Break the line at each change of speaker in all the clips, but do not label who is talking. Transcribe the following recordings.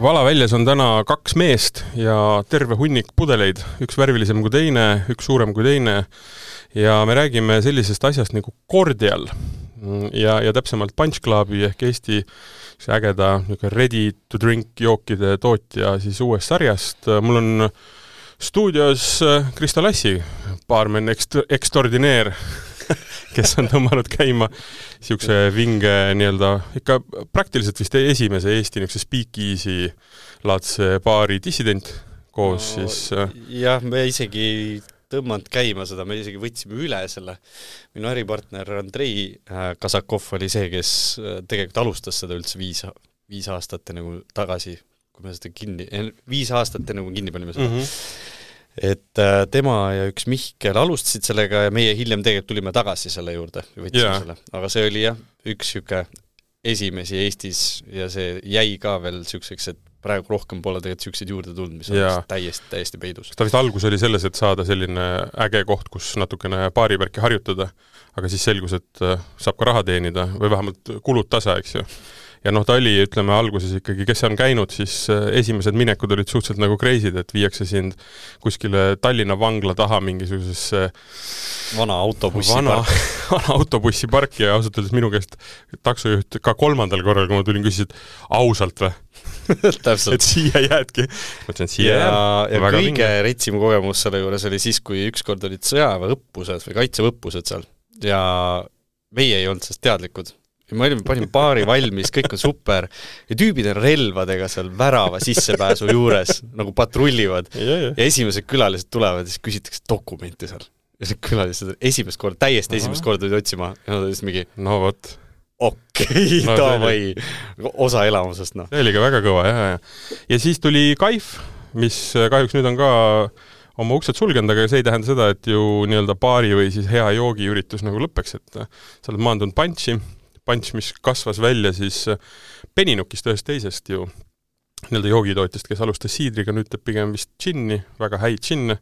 Valaväljas on täna 2 meest ja terve hunnik pudeleid, üks värvilisem kui teine, üks suurem kui teine ja me räägime sellisest asjast nagu Cordial ja täpsemalt Punch Clubi ehk Eesti ägeda ready to drink jookide tootja siis uuest sarjast. Mul on stuudios Kristo Lassi, baarmen extraordinaire, kes on tõmmanud käima siukse vinge ikka praktiliselt vist esimese Eesti niisuguse speakeasy laadse baari dissident koos siis...
Jah, me isegi tõmmanud käima seda, me isegi võtsime üle selle. Minu äripartner Andrei Kasakov oli see, kes tegelikult alustas seda üldse 5 aastat nagu tagasi, kui me seda 5 aastat nagu kinni panime seda. Et tema ja üks Mihkel alustasid sellega ja meie hiljem tegelikult tulime tagasi selle juurde ja võtsime selle. Aga see oli üks siuke esimesi Eestis ja see jäi ka veel siukseks, et praegu rohkem pole tegelikult siukseid juurde tulnud, mis on täiesti peidus.
Ta vist algus oli selles, et saada selline äge koht, kus natukene baarivärki harjutada, aga siis selgus, et saab ka raha teenida või vähemalt kulud tasa, eks ju. Ja ta oli, ütleme, alguses ikkagi, kes on käinud, siis esimesed minekud olid suhteliselt nagu crazy'd, et viiakse sind kuskile Tallinna vangla taha mingisugusesse
vana
autobussipark ja ausalt öeldes minu käest taksojuht ka 3. korral, kui ma tulin, küsisid ausalt või? Et siia jäädki. Mõtlen, siia
ja kõige retsim kogemus selle juures oli siis, kui ükskord olid sõjaväeõppused või kaitseõppused seal ja meie ei olnud sellest teadlikud. Me panime baari valmis, kõik on super ja tüübid on relvadega seal värava sissepääsu juures nagu patrullivad ja esimesed külalised tulevad ja siis küsitakse dokumenti seal ja see külalised esimest korda tulid otsima ja nad olid mingi davai, osa elamusest
See oli ka väga kõva ja siis tuli Kaif, mis kahjuks nüüd on ka oma uksed sulgenud, aga see ei tähenda seda, et ju baari või siis hea joogiüritus nagu lõppeks, et sa oled maandunud Punch, mis kasvas välja siis Peninukist ühest teisest ju joogitootjast, kes alustas siidriga, nüüd teeb pigem vist džinni, väga häid džinne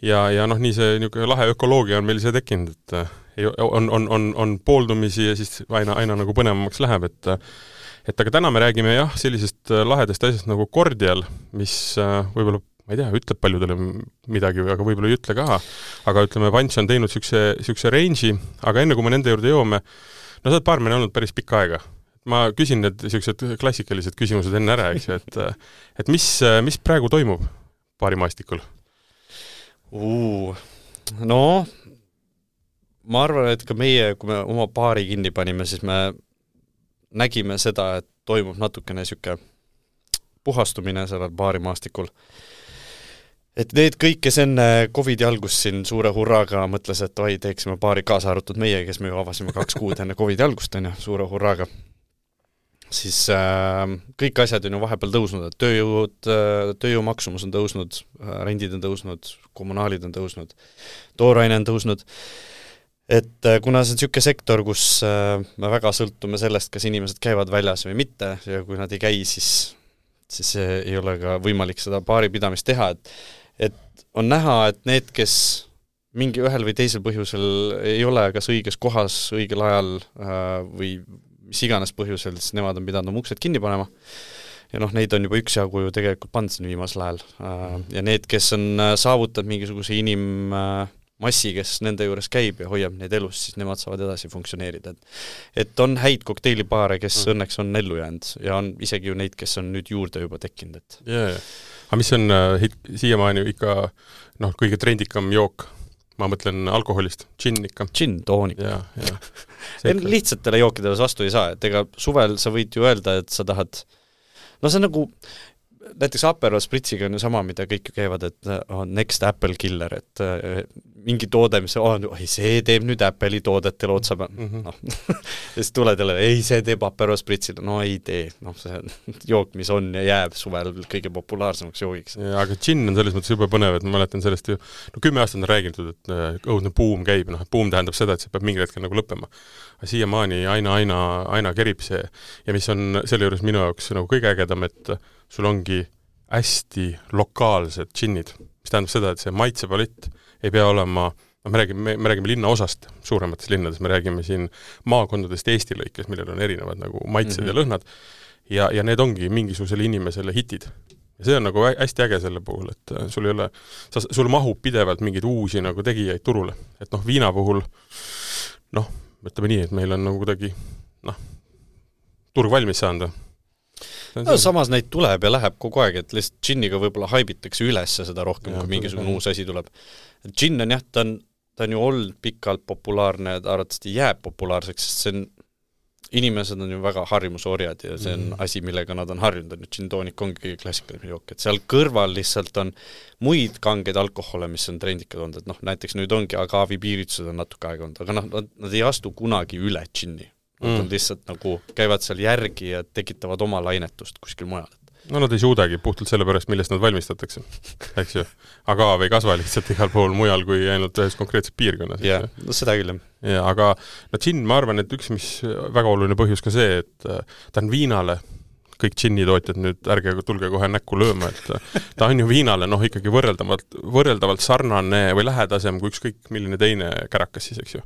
ja nii see lahe ökoloogia on meil see tekkinud, et on pooldumisi ja siis aina nagu põnevamaks läheb, et aga täna me räägime sellisest lahedast asjast nagu Cordial, mis võib-olla ma ei tea, ütleb paljudele midagi, aga võib-olla ei ütle ka, aga ütleme, Punch on teinud siukse range'i, aga enne kui me nende juurde jõuame, sa oled baarmen olnud päris pikka aega. Ma küsin need siuksed klassikalised küsimused enne ära, eks ju, et mis praegu toimub baarimaastikul?
No, ma arvan, et ka meie, kui me oma baari kinni panime, siis me nägime seda, et toimub natukene siuke puhastumine sellel baarimaastikul. Et need kõik, kes enne COVID-i algus siin suure hurraaga mõtles, et teeksime baari kaasa arvutud meie, kes me ju avasime 2 kuud enne COVID-i algust, suure hurraaga. Siis kõik asjad on ju vahepeal tõusnud, et tööjõu maksumus on tõusnud, rendid on tõusnud, kommunaalid on tõusnud, tooraine on tõusnud. Et kuna see on siuke sektor, kus me väga sõltume sellest, kas inimesed käivad väljas või mitte ja kui nad ei käi, siis ei ole ka võimalik seda baari pidamist teha, et on näha, et need, kes mingi ühel või teisel põhjusel ei ole kas õiges kohas, õigel ajal või mis iganes põhjusel, siis nemad on pidanud oma uksed kinni panema. Ja neid on juba üksjagu ju tegelikult pandud siin viimasel ajal. Ja need, kes on saavutanud mingisuguse inimmassi, kes nende juures käib ja hoiab neid elus, siis nemad saavad edasi funktsioneerida. Et on häid kokteilibaare, kes õnneks on ellu jäänud ja on isegi ju neid, kes on nüüd juurde juba tekkinud.
Aga mis on siiamaani ikka kõige trendikam jook? Ma mõtlen alkoholist, džinn ikka.
Džinn, toonik. Lihtsatele jookidele vastu ei saa, et ega suvel sa võid ju öelda, et sa tahad see on nagu näiteks Aperol Spritsiga on ju sama, mida kõik ju käivad, et on next Apple killer, et mingi toode, mis see teeb nüüd Apple'i toodetel otsa ja siis tuled jälle, see teeb Aperol Spritsile, ei tee, see jook, mis on ja jääb suvel kõige populaarsemaks joogiks.
Aga džinn on selles mõttes juba põnev, et ma mäletan sellest ju, 10 aastat on räägitud, et õudne buum käib, buum tähendab seda, et see peab mingi hetkel nagu lõppema. Aga siiamaani aina kerib see ja mis on selle juures minu jaoks nagu kõige ägedam, et sul ongi hästi lokaalsed džinnid, mis tähendab seda, et see maitsepalett ei pea olema me räägime linnaosast, suuremates linnades, me räägime siin maakondadest Eesti lõikes, millel on erinevad nagu maitsed ja lõhnad, ja need ongi mingisugusele inimesele hitid. Ja see on nagu hästi äge selle puhul, et sul mahub pidevalt mingeid uusi nagu tegijaid turule. Et viina puhul, ütleme nii, et meil on nagu kuidagi, turg valmis saanud.
Samas neid tuleb ja läheb kogu aeg, et lihtsalt džinniga võib-olla haibitakse üles seda rohkem, kui mingisugune uus asi tuleb. Džinn on jah, ta on ju olnud pikalt populaarne ja ta arvatavasti jääb populaarseks, sest inimesed on ju väga harjumusorjad ja see on asi, millega nad on harjunud. Džinn-toonik ongi klassikaline jook, et seal kõrval lihtsalt on muid kangeid alkohole, mis on trendikad olnud, et näiteks nüüd ongi agaavi piiritused on natuke aega olnud, aga nad ei astu kunagi üle džinni. Nad on lihtsalt nagu käivad seal järgi ja tekitavad oma lainetust kuskil mujal.
Nad ei suudagi puhtalt selle pärast, millest nad valmistatakse, eks ju. Agav ei kasva lihtsalt igal pool mujal kui ainult ühes konkreetses piirkonnas.
Jah, seda küll.
Ja, aga džinn, ma arvan, et üks, mis väga oluline põhjus ka see, et ta on viinale, kõik džinnitootjad nüüd ärge tulge kohe näkku lööma, et ta on ju viinale ikkagi võrreldavalt sarnane või lähedasem kui ükskõik milline teine kärakas siis, eks ju.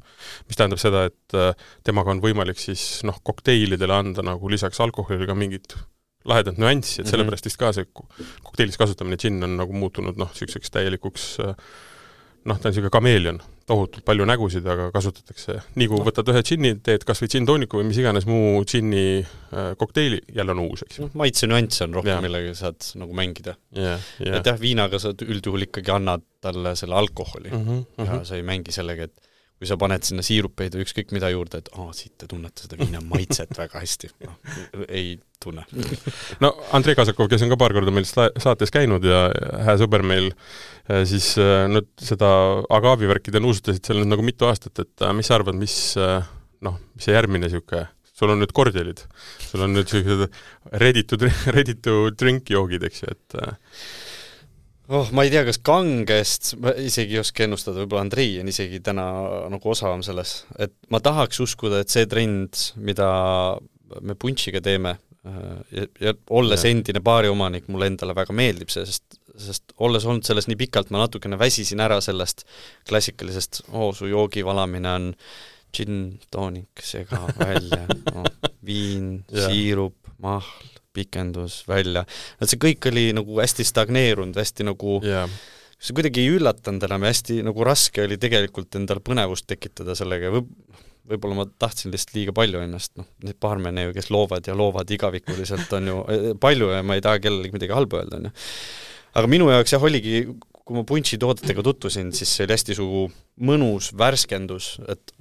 Mis tähendab seda, et temaga on võimalik siis kokteilidele anda nagu lisaks alkoholile ka mingit lahedat nüanssi, et sellepärast vist ka see kokteilis kasutamine džinn on nagu muutunud selliseks täielikuks, ta on selline kameelion, tohutult palju nägusid, aga kasutatakse, nii kui võtad ühe džinni, teed kas või džinn-tooniku või mis iganes muu džinni kokteili, jälle on uus, eks ju.
Maitse nüanss on rohkem, millega saad nagu mängida. Et jah, viinaga sa üldjuhul ikkagi annad talle selle alkoholi ja sa ei mängi sellega, et kui sa paned sinna siirupeid või ükskõik mida juurde, et siit te tunnete seda viina maitset väga hästi. Ei tunne.
Andrei Kasakov, kes on ka paar korda meil saates käinud ja hää sõber meil, siis nüüd seda agaavi-värkide nuusutasid seal nüüd nagu mitu aastat, et mis sa arvad, mis see järgmine siuke, sul on nüüd kordialid, sul on nüüd ready to drink joogid, eks ju, et
ma ei tea, kas kangest, ma isegi ei oska ennustada, võib-olla Andrei on isegi täna nagu osavam selles, et ma tahaks uskuda, et see trend, mida me punšiga teeme ja olles endine baariomanik, mulle endale väga meeldib see, sest olles olnud selles nii pikalt, ma natukene väsisin ära sellest klassikalisest, su joogi valamine on džinn, toonik, sega välja, viin, siirup, mahl, pikendus välja. See kõik oli nagu hästi stagneerunud, hästi nagu see kuidagi ei üllatanud enam, hästi nagu raske oli tegelikult endal põnevust tekitada sellega. Võib-olla ma tahtsin lihtsalt liiga palju ennast, need baarmene ju, kes loovad igavikuliselt on ju palju ja ma ei taha kellelegi midagi halba öelda. On ju. Aga minu jaoks oligi, kui ma punši toodetega tutvusin, siis see oli hästi mõnus värskendus, et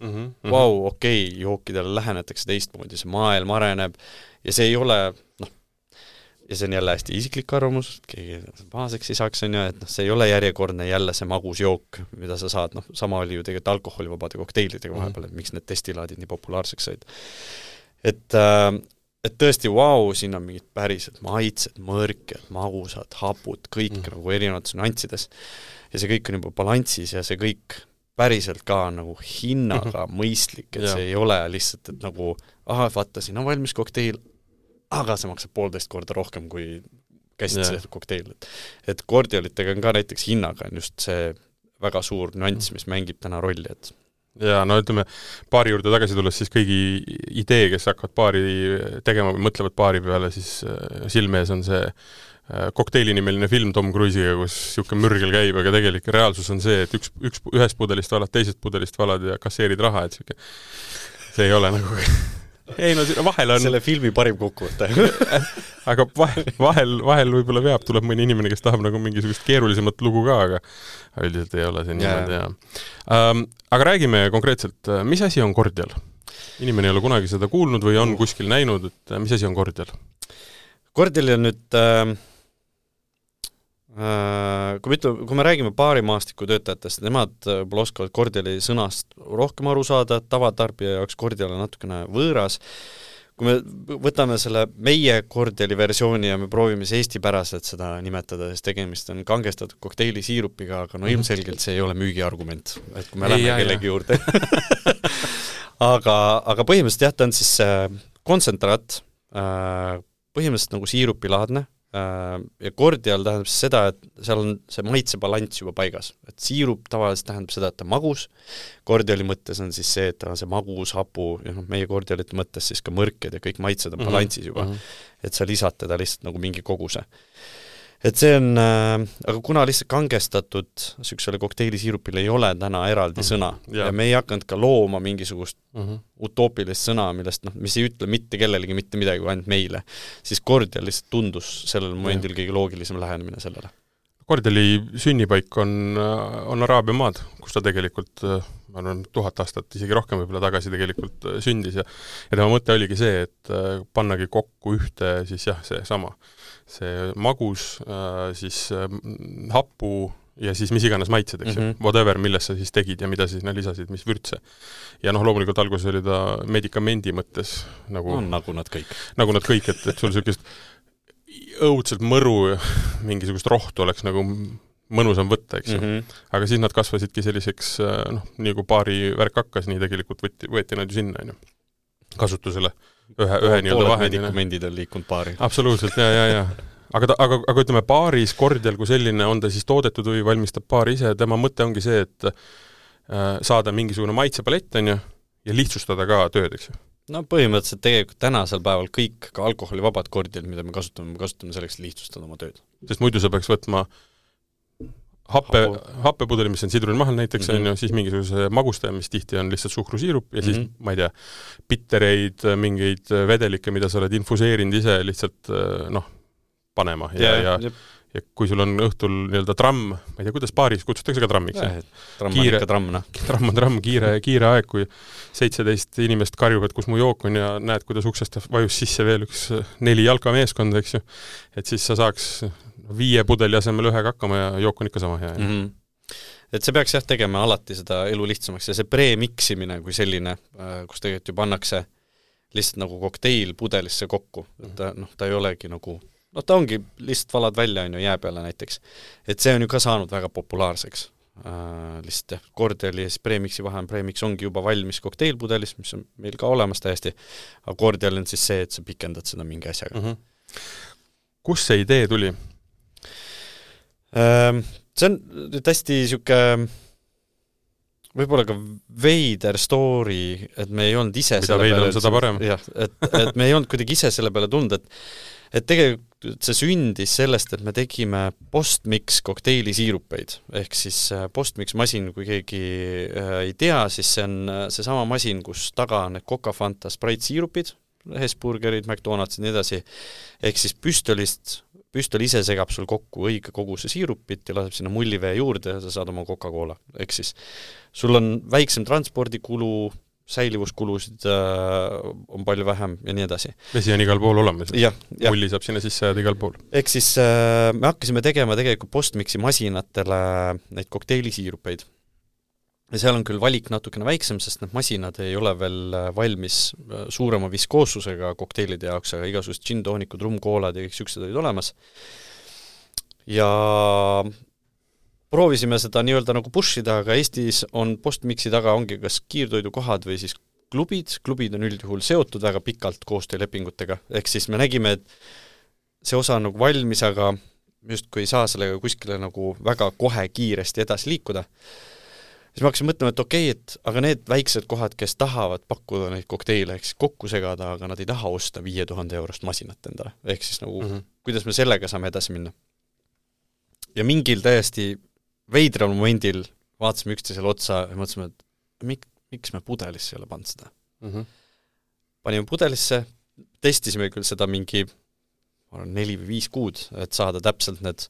okei, jookidele lähenetakse teistmoodi, see maailm areneb ja see ei ole, ja see on jälle hästi isiklik arvamus, keegi pahaseks ei saaks, on ju, et see ei ole järjekordne jälle see magus jook, mida sa saad, sama oli ju tegelikult alkoholivabade kokteilidega vahepeal, et miks need testilaadid nii populaarseks said. Et tõesti, siin on mingid pärised maitsed, mõrked, magusad, hapud, kõik nagu erinevates nüanssides. Ja see kõik on juba balanssis ja see kõik päriselt ka nagu hinnaga mõistlik, et see ei ole lihtsalt, et nagu vaata, siin on valmis kokteil, aga see maksab 1,5 korda rohkem kui käsitletud kokteil. Et kordialitega on ka näiteks hinnaga on just see väga suur nüanss, mis mängib täna rolli.
Ja ütleme, baari juurde tagasi tulles siis kõigi idee, kes hakkavad baari tegema või mõtlevad baari peale, siis silmees on see kokteilinimeline film Tom Cruise'iga, kus siuke mürgel käib, aga tegelik reaalsus on see, et ühest pudelist valad, teisest pudelist valad ja kasseerid raha, et siuke see ei ole nagu ei, vahel on
selle filmi parim kokkuvõte.
Aga vahel võib-olla tuleb mõni inimene, kes tahab nagu mingisugust keerulisemat lugu ka, aga üldiselt ei ole see niimoodi. Aga räägime konkreetselt, mis asi on kordial? Inimene ei ole kunagi seda kuulnud või on kuskil näinud, et mis asi on kordial?
Kordial on nüüd kui me räägime baarimaastiku töötajatest, nemad oskavad kordiali sõnast rohkem aru saada, tavatarbija jaoks kordial on natukene võõras. Kui me võtame selle meie kordiali versiooni ja me proovime see eestipäraselt seda nimetada, sest tegemist on kangestatud kokteili siirupiga, aga ilmselgelt see ei ole müügiargument, et kui me lähme kellegi juurde. aga põhimõtteliselt ta on siis kontsentraat, põhimõtteliselt nagu siirupilaadne, ja kordial tähendab seda, et seal on see maitsebalanss juba paigas. Et siirup tavaliselt tähendab seda, et ta magus, kordiali mõttes on siis see, et ta on see magus, hapu, ja meie kordialite mõttes siis ka mõrked ja kõik maitsed on balanssis juba, et sa lisad teda lihtsalt nagu mingi koguse. Et see on, aga kuna lihtsalt kangestatud süksele kokteilisirupil ei ole täna eraldi sõna ja me ei hakanud ka looma mingisugust utoopilist sõna, millest, mis ei ütle mitte kellelegi mitte midagi, ainult meile, siis kordial lihtsalt tundus sellel momendil kõige loogilisem lähenemine sellele.
Kordiali sünnipaik on Araabia maad, kus ta tegelikult, ma arvan, 1000 aastat, isegi rohkem võib-olla tagasi tegelikult sündis ja tema mõte oligi see, et pannagi kokku ühte siis jah, see magus, siis hapu ja siis mis iganes maitsed, eks ju, whatever, milles sa siis tegid ja mida siis lisasid, mis vürtse. Ja loomulikult alguses oli ta medikamendi mõttes nagu
nad kõik.
Nagu nad kõik, et sul sellist õudselt mõru mingisugust rohtu oleks nagu mõnusam võtta, eks ju. Aga siis nad kasvasidki selliseks, nii kui paari värk hakkas, nii tegelikult võeti nad ju sinna, kasutusele ühe nii-öelda vahendina.
Medikamendid on liikunud paari.
Absoluutselt, ja. Aga ütleme, paaris kordial kui selline on ta siis toodetud või valmistab paar ise, tema mõte ongi see, et saada mingisugune maitsepalett, on ju, ja lihtsustada ka tööd, eks ju.
No põhimõtteliselt tegelikult tänasel päeval kõik ka alkoholivabad kordial, mida me kasutame selleks lihtsustada oma tööd.
Sest muidu sa peaks võtma happepudeli, mis on sidrunimahal näiteks, on ju, siis mingisuguse magustaja, mis tihti on lihtsalt suhkrusiirup ja siis, ma ei tea, bittereid, mingeid vedelikke, mida sa oled infuseerinud ise lihtsalt, panema. Ja kui sul on õhtul nii-öelda tramm, ma ei tea, kuidas paaris kutsutakse ka trammiks?
Tramm on ikka tramm,
Tramm on tramm, kiire aeg, kui 17 inimest karjuvad, kus mu jook on ja näed, kuidas uksest vajus sisse veel üks 4 jalkameeskond, eks ju. Et siis sa saaks 5 pudeli asemel 1 hakkama ja jook on ikka sama hea.
Et see peaks tegema alati seda elu lihtsamaks ja see pre-miksimine kui selline, kus tegelikult ju pannakse lihtsalt nagu kokteil pudelisse kokku. Et ta ei olegi nagu ta ongi lihtsalt valad välja jää peale näiteks. Et see on ju ka saanud väga populaarseks. Lihtsalt kordiali ja siis premixi vahe on premix ongi juba valmis kokteilpudelis, mis on meil ka olemas täiesti, aga kordial on siis see, et sa pikendad seda mingi asjaga.
Kus see idee tuli?
See on hästi siuke võib-olla ka veider story, et me ei olnud ise
mida veid on, seda parem.
Jah, et me ei olnud kuidagi ise selle peale tund, et tegelikult see sündis sellest, et me tegime postmix kokteilissiirupeid, ehk siis postmix masin, kui keegi ei tea, siis see on see sama masin, kus taga on need Coca Fanta Sprite siirupid, Hesburgerid, McDonald's ja nii edasi, ehk siis püstol ise segab sul kokku õige koguse siirupit ja laseb sinna mullivee juurde ja sa saad oma Coca-Cola, ehk siis sul on väiksem transpordikulu, säilivuskulusid on palju vähem ja nii edasi.
Vesi on igal pool olemas. Mulli saab sinna sisse jääda igal pool.
Ehk siis me hakkasime tegema tegelikult postmixi masinatele neid kokteilissiirupeid. Ja seal on küll valik natukene väiksem, sest need masinad ei ole veel valmis suurema viskoossusega kokteilide jaoks, aga igasugused gin-toonikud, rumkoolad ja kõik siuksed olid olemas. Ja proovisime seda nii-öelda nagu pushida, aga Eestis on postmixi taga ongi kas kiirtoidukohad või siis klubid on üldjuhul seotud väga pikalt koostöölepingutega, ehk siis me nägime, et see osa on nagu valmis, aga just kui ei saa sellega kuskile nagu väga kohe kiiresti edasi liikuda, siis me hakkasime mõtlema, et okei, et aga need väiksed kohad, kes tahavad pakkuda neid kokteile, ehk siis kokku segada, aga nad ei taha osta 5000 eurost masinat endale, ehk siis nagu kuidas me sellega saame edasi minna. Ja mingil täiesti veidral momendil vaatasime üksteisele otsa ja mõtlesime, et miks me pudelisse ei ole pannud seda. Panime pudelisse, testisime küll seda mingi 4 või 5 kuud, et saada täpselt need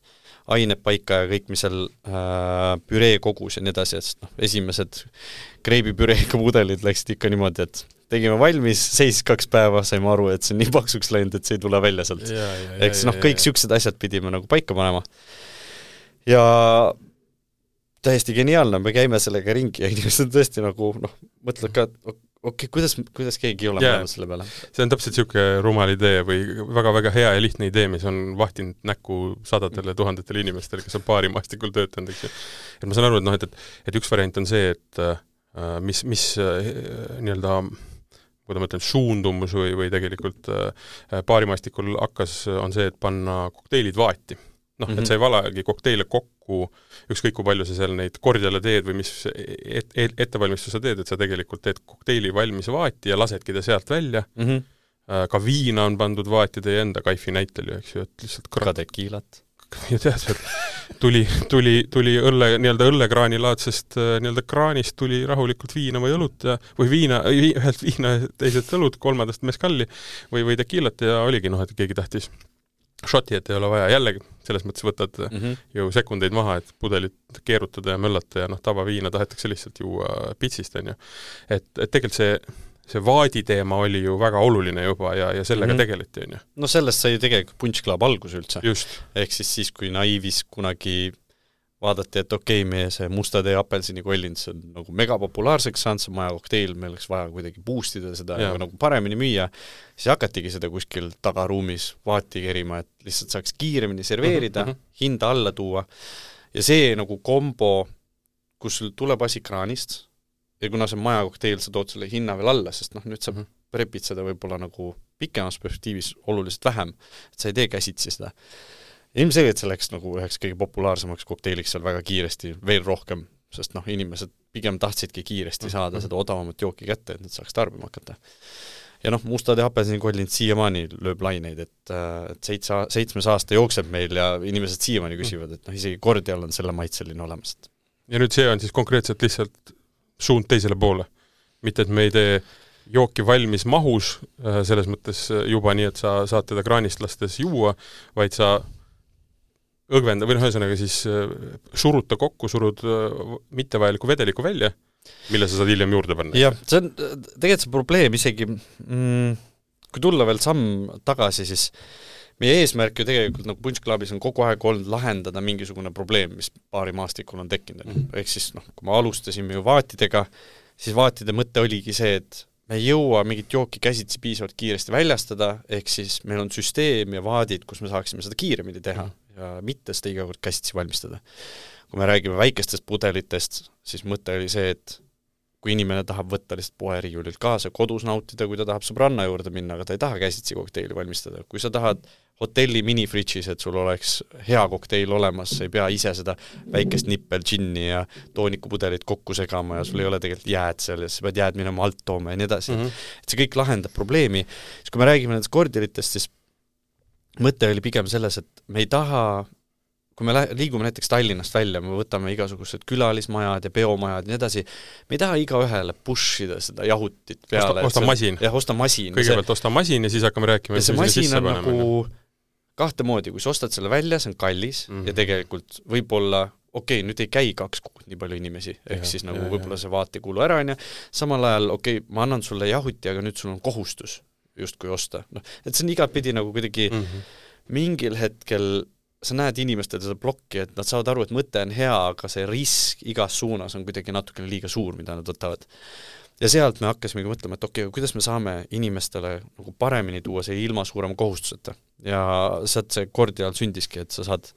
ained paika ja kõik, mis seal püree kogus ja nii edasi, et esimesed kreibipüreega pudelid läksid ikka niimoodi, et tegime valmis, seisis 2 päeva, saime aru, et see on nii paksuks läinud, et see ei tule välja sealt. Eks kõik siuksed asjad pidime nagu paika panema. Ja täiesti geniaalne, me käime sellega ringi ja inimesed tõesti nagu, mõtled ka, okei, kuidas keegi ei ole mõlemad selle peale?
See on täpselt siuke rumal idee või väga-väga hea ja lihtne idee, mis on vahtinud näkku sadadele tuhandetele inimestele, kes on paarimaastikul töötanud, eks ju. Et ma saan aru, et üks variant on see, et mis nii-öelda kui ma ütlen suundumus või tegelikult baarimaastikul on see, et panna kokteilid vaati. Et sa ei valagi kokteile kokku, ükskõik kui palju sa seal neid kordjale teed või mis ettevalmistusa teed, et sa tegelikult teed kokteili valmis vaati ja lasedki ta sealt välja. Ka viina on pandud vaati teie enda kaifi näitel ju, eks ju, et lihtsalt
ka tekiilat.
Ja tead, tuli õllekraanilaadsest kraanist tuli rahulikult viina või õlut või ühelt viina, teiselt õlut, kolmandast meskalli või tekiilat ja oligi, et keegi tahtis šoti, et ei ole vaja. Jällegi, selles mõttes võtad ju sekundeid maha, et pudelit keerutada ja möllata ja tavaviina tahetakse lihtsalt juua pitsist, on ju. Et tegelikult see vaadi teema oli ju väga oluline juba ja sellega tegeleti, on ju.
No sellest sai tegelikult Punch Club algus üldse.
Just.
Ehk siis, kui Naivis kunagi vaadati, et meie see mustade ja apelsini kollins on nagu megapopulaarseks saanud, see maja kokteil, meil oleks vaja kuidagi boostida seda ja nagu paremini müüa, siis hakatigi seda kuskil tagaruumis vaati kerima, et lihtsalt saaks kiiremini serveerida, hinda alla tuua. Ja see nagu kombo, kus sul tuleb asi kraanist ja kuna see maja kokteil, sa tood selle hinna veel alla, sest nüüd sa prepid seda võib-olla nagu pikemas perspektiivis oluliselt vähem, et sa ei tee käsitsi seda. Ilmselgelt see läks nagu üheks kõige populaarsemaks kokteiliks seal väga kiiresti, veel rohkem, sest inimesed pigem tahtsidki kiiresti saada seda odavamat jooki kätte, et nad saaks tarbima hakata. Ja mustade apelsini kollint siiamaani lööb laineid, et 7 aasta jookseb meil ja inimesed siiamaani küsivad, et isegi kordial on selle maitseline olemas.
Ja nüüd see on siis konkreetselt lihtsalt suund teisele poole. Mitte, et me ei tee jooki valmis mahus, selles mõttes juba nii, et sa saad teda kraanist lastes juua, vaid sa õgvenda või ühesõnaga siis surud mittevajaliku vedeliku välja, mille sa saad hiljem juurde panna.
Jah, see on tegelikult see probleem isegi, kui tulla veel samm tagasi, siis meie eesmärk ju tegelikult nagu Punch Clubis on kogu aeg olnud lahendada mingisugune probleem, mis baarimaastikul on tekkinud. Ehk siis, kui me alustasime ju vaatidega, siis vaatide mõte oligi see, et me ei jõua mingit jooki käsitsi piisavalt kiiresti väljastada, ehk siis meil on süsteem ja vaadid, kus me saaksime seda kiiremini teha ja mitte seda iga kord käsitsi valmistada. Kui me räägime väikestest pudelitest, siis mõte oli see, et kui inimene tahab võtta lihtsalt poeriiulilt kaasa, kodus nautida, kui ta tahab sõbranna juurde minna, aga ta ei taha käsitsi kokteili valmistada. Kui sa tahad hotelli minifridžis, et sul oleks hea kokteil olemas, sa ei pea ise seda väikest nippel džinni ja toonikupudelit kokku segama ja sul ei ole tegelikult jääd seal ja sa pead jääd minema alt tooma ja nii edasi. Et see kõik lahendab probleemi. Siis kui me räägime nendest kordialitest, siis mõte oli pigem selles, et me ei taha, kui me liigume näiteks Tallinnast välja, me võtame igasugused külalismajad ja peomajad ja nii edasi, me ei taha igaühele pushida seda jahutit peale.
Osta masin.
Jah, osta masin.
Kõigepealt osta masin ja siis hakkame rääkima.
Ja see masin on nagu kahte moodi, kui sa ostad selle välja, see on kallis ja tegelikult võib-olla, nüüd ei käi 2 kuud nii palju inimesi, ehk siis nagu võib-olla see vaat ei kuulu ära, samal ajal, ma annan sulle jahuti, aga nüüd sul on kohustus justkui osta. Et see on igatpidi nagu kuidagi mingil hetkel sa näed inimestel seda blokki, et nad saavad aru, et mõte on hea, aga see risk igas suunas on kuidagi natukene liiga suur, mida nad võtavad. Ja sealt me hakkasimegi mõtlema, et kuidas me saame inimestele nagu paremini tuua see ilma suurema kohustuseta. Ja sealt see kordial sündiski, et sa saad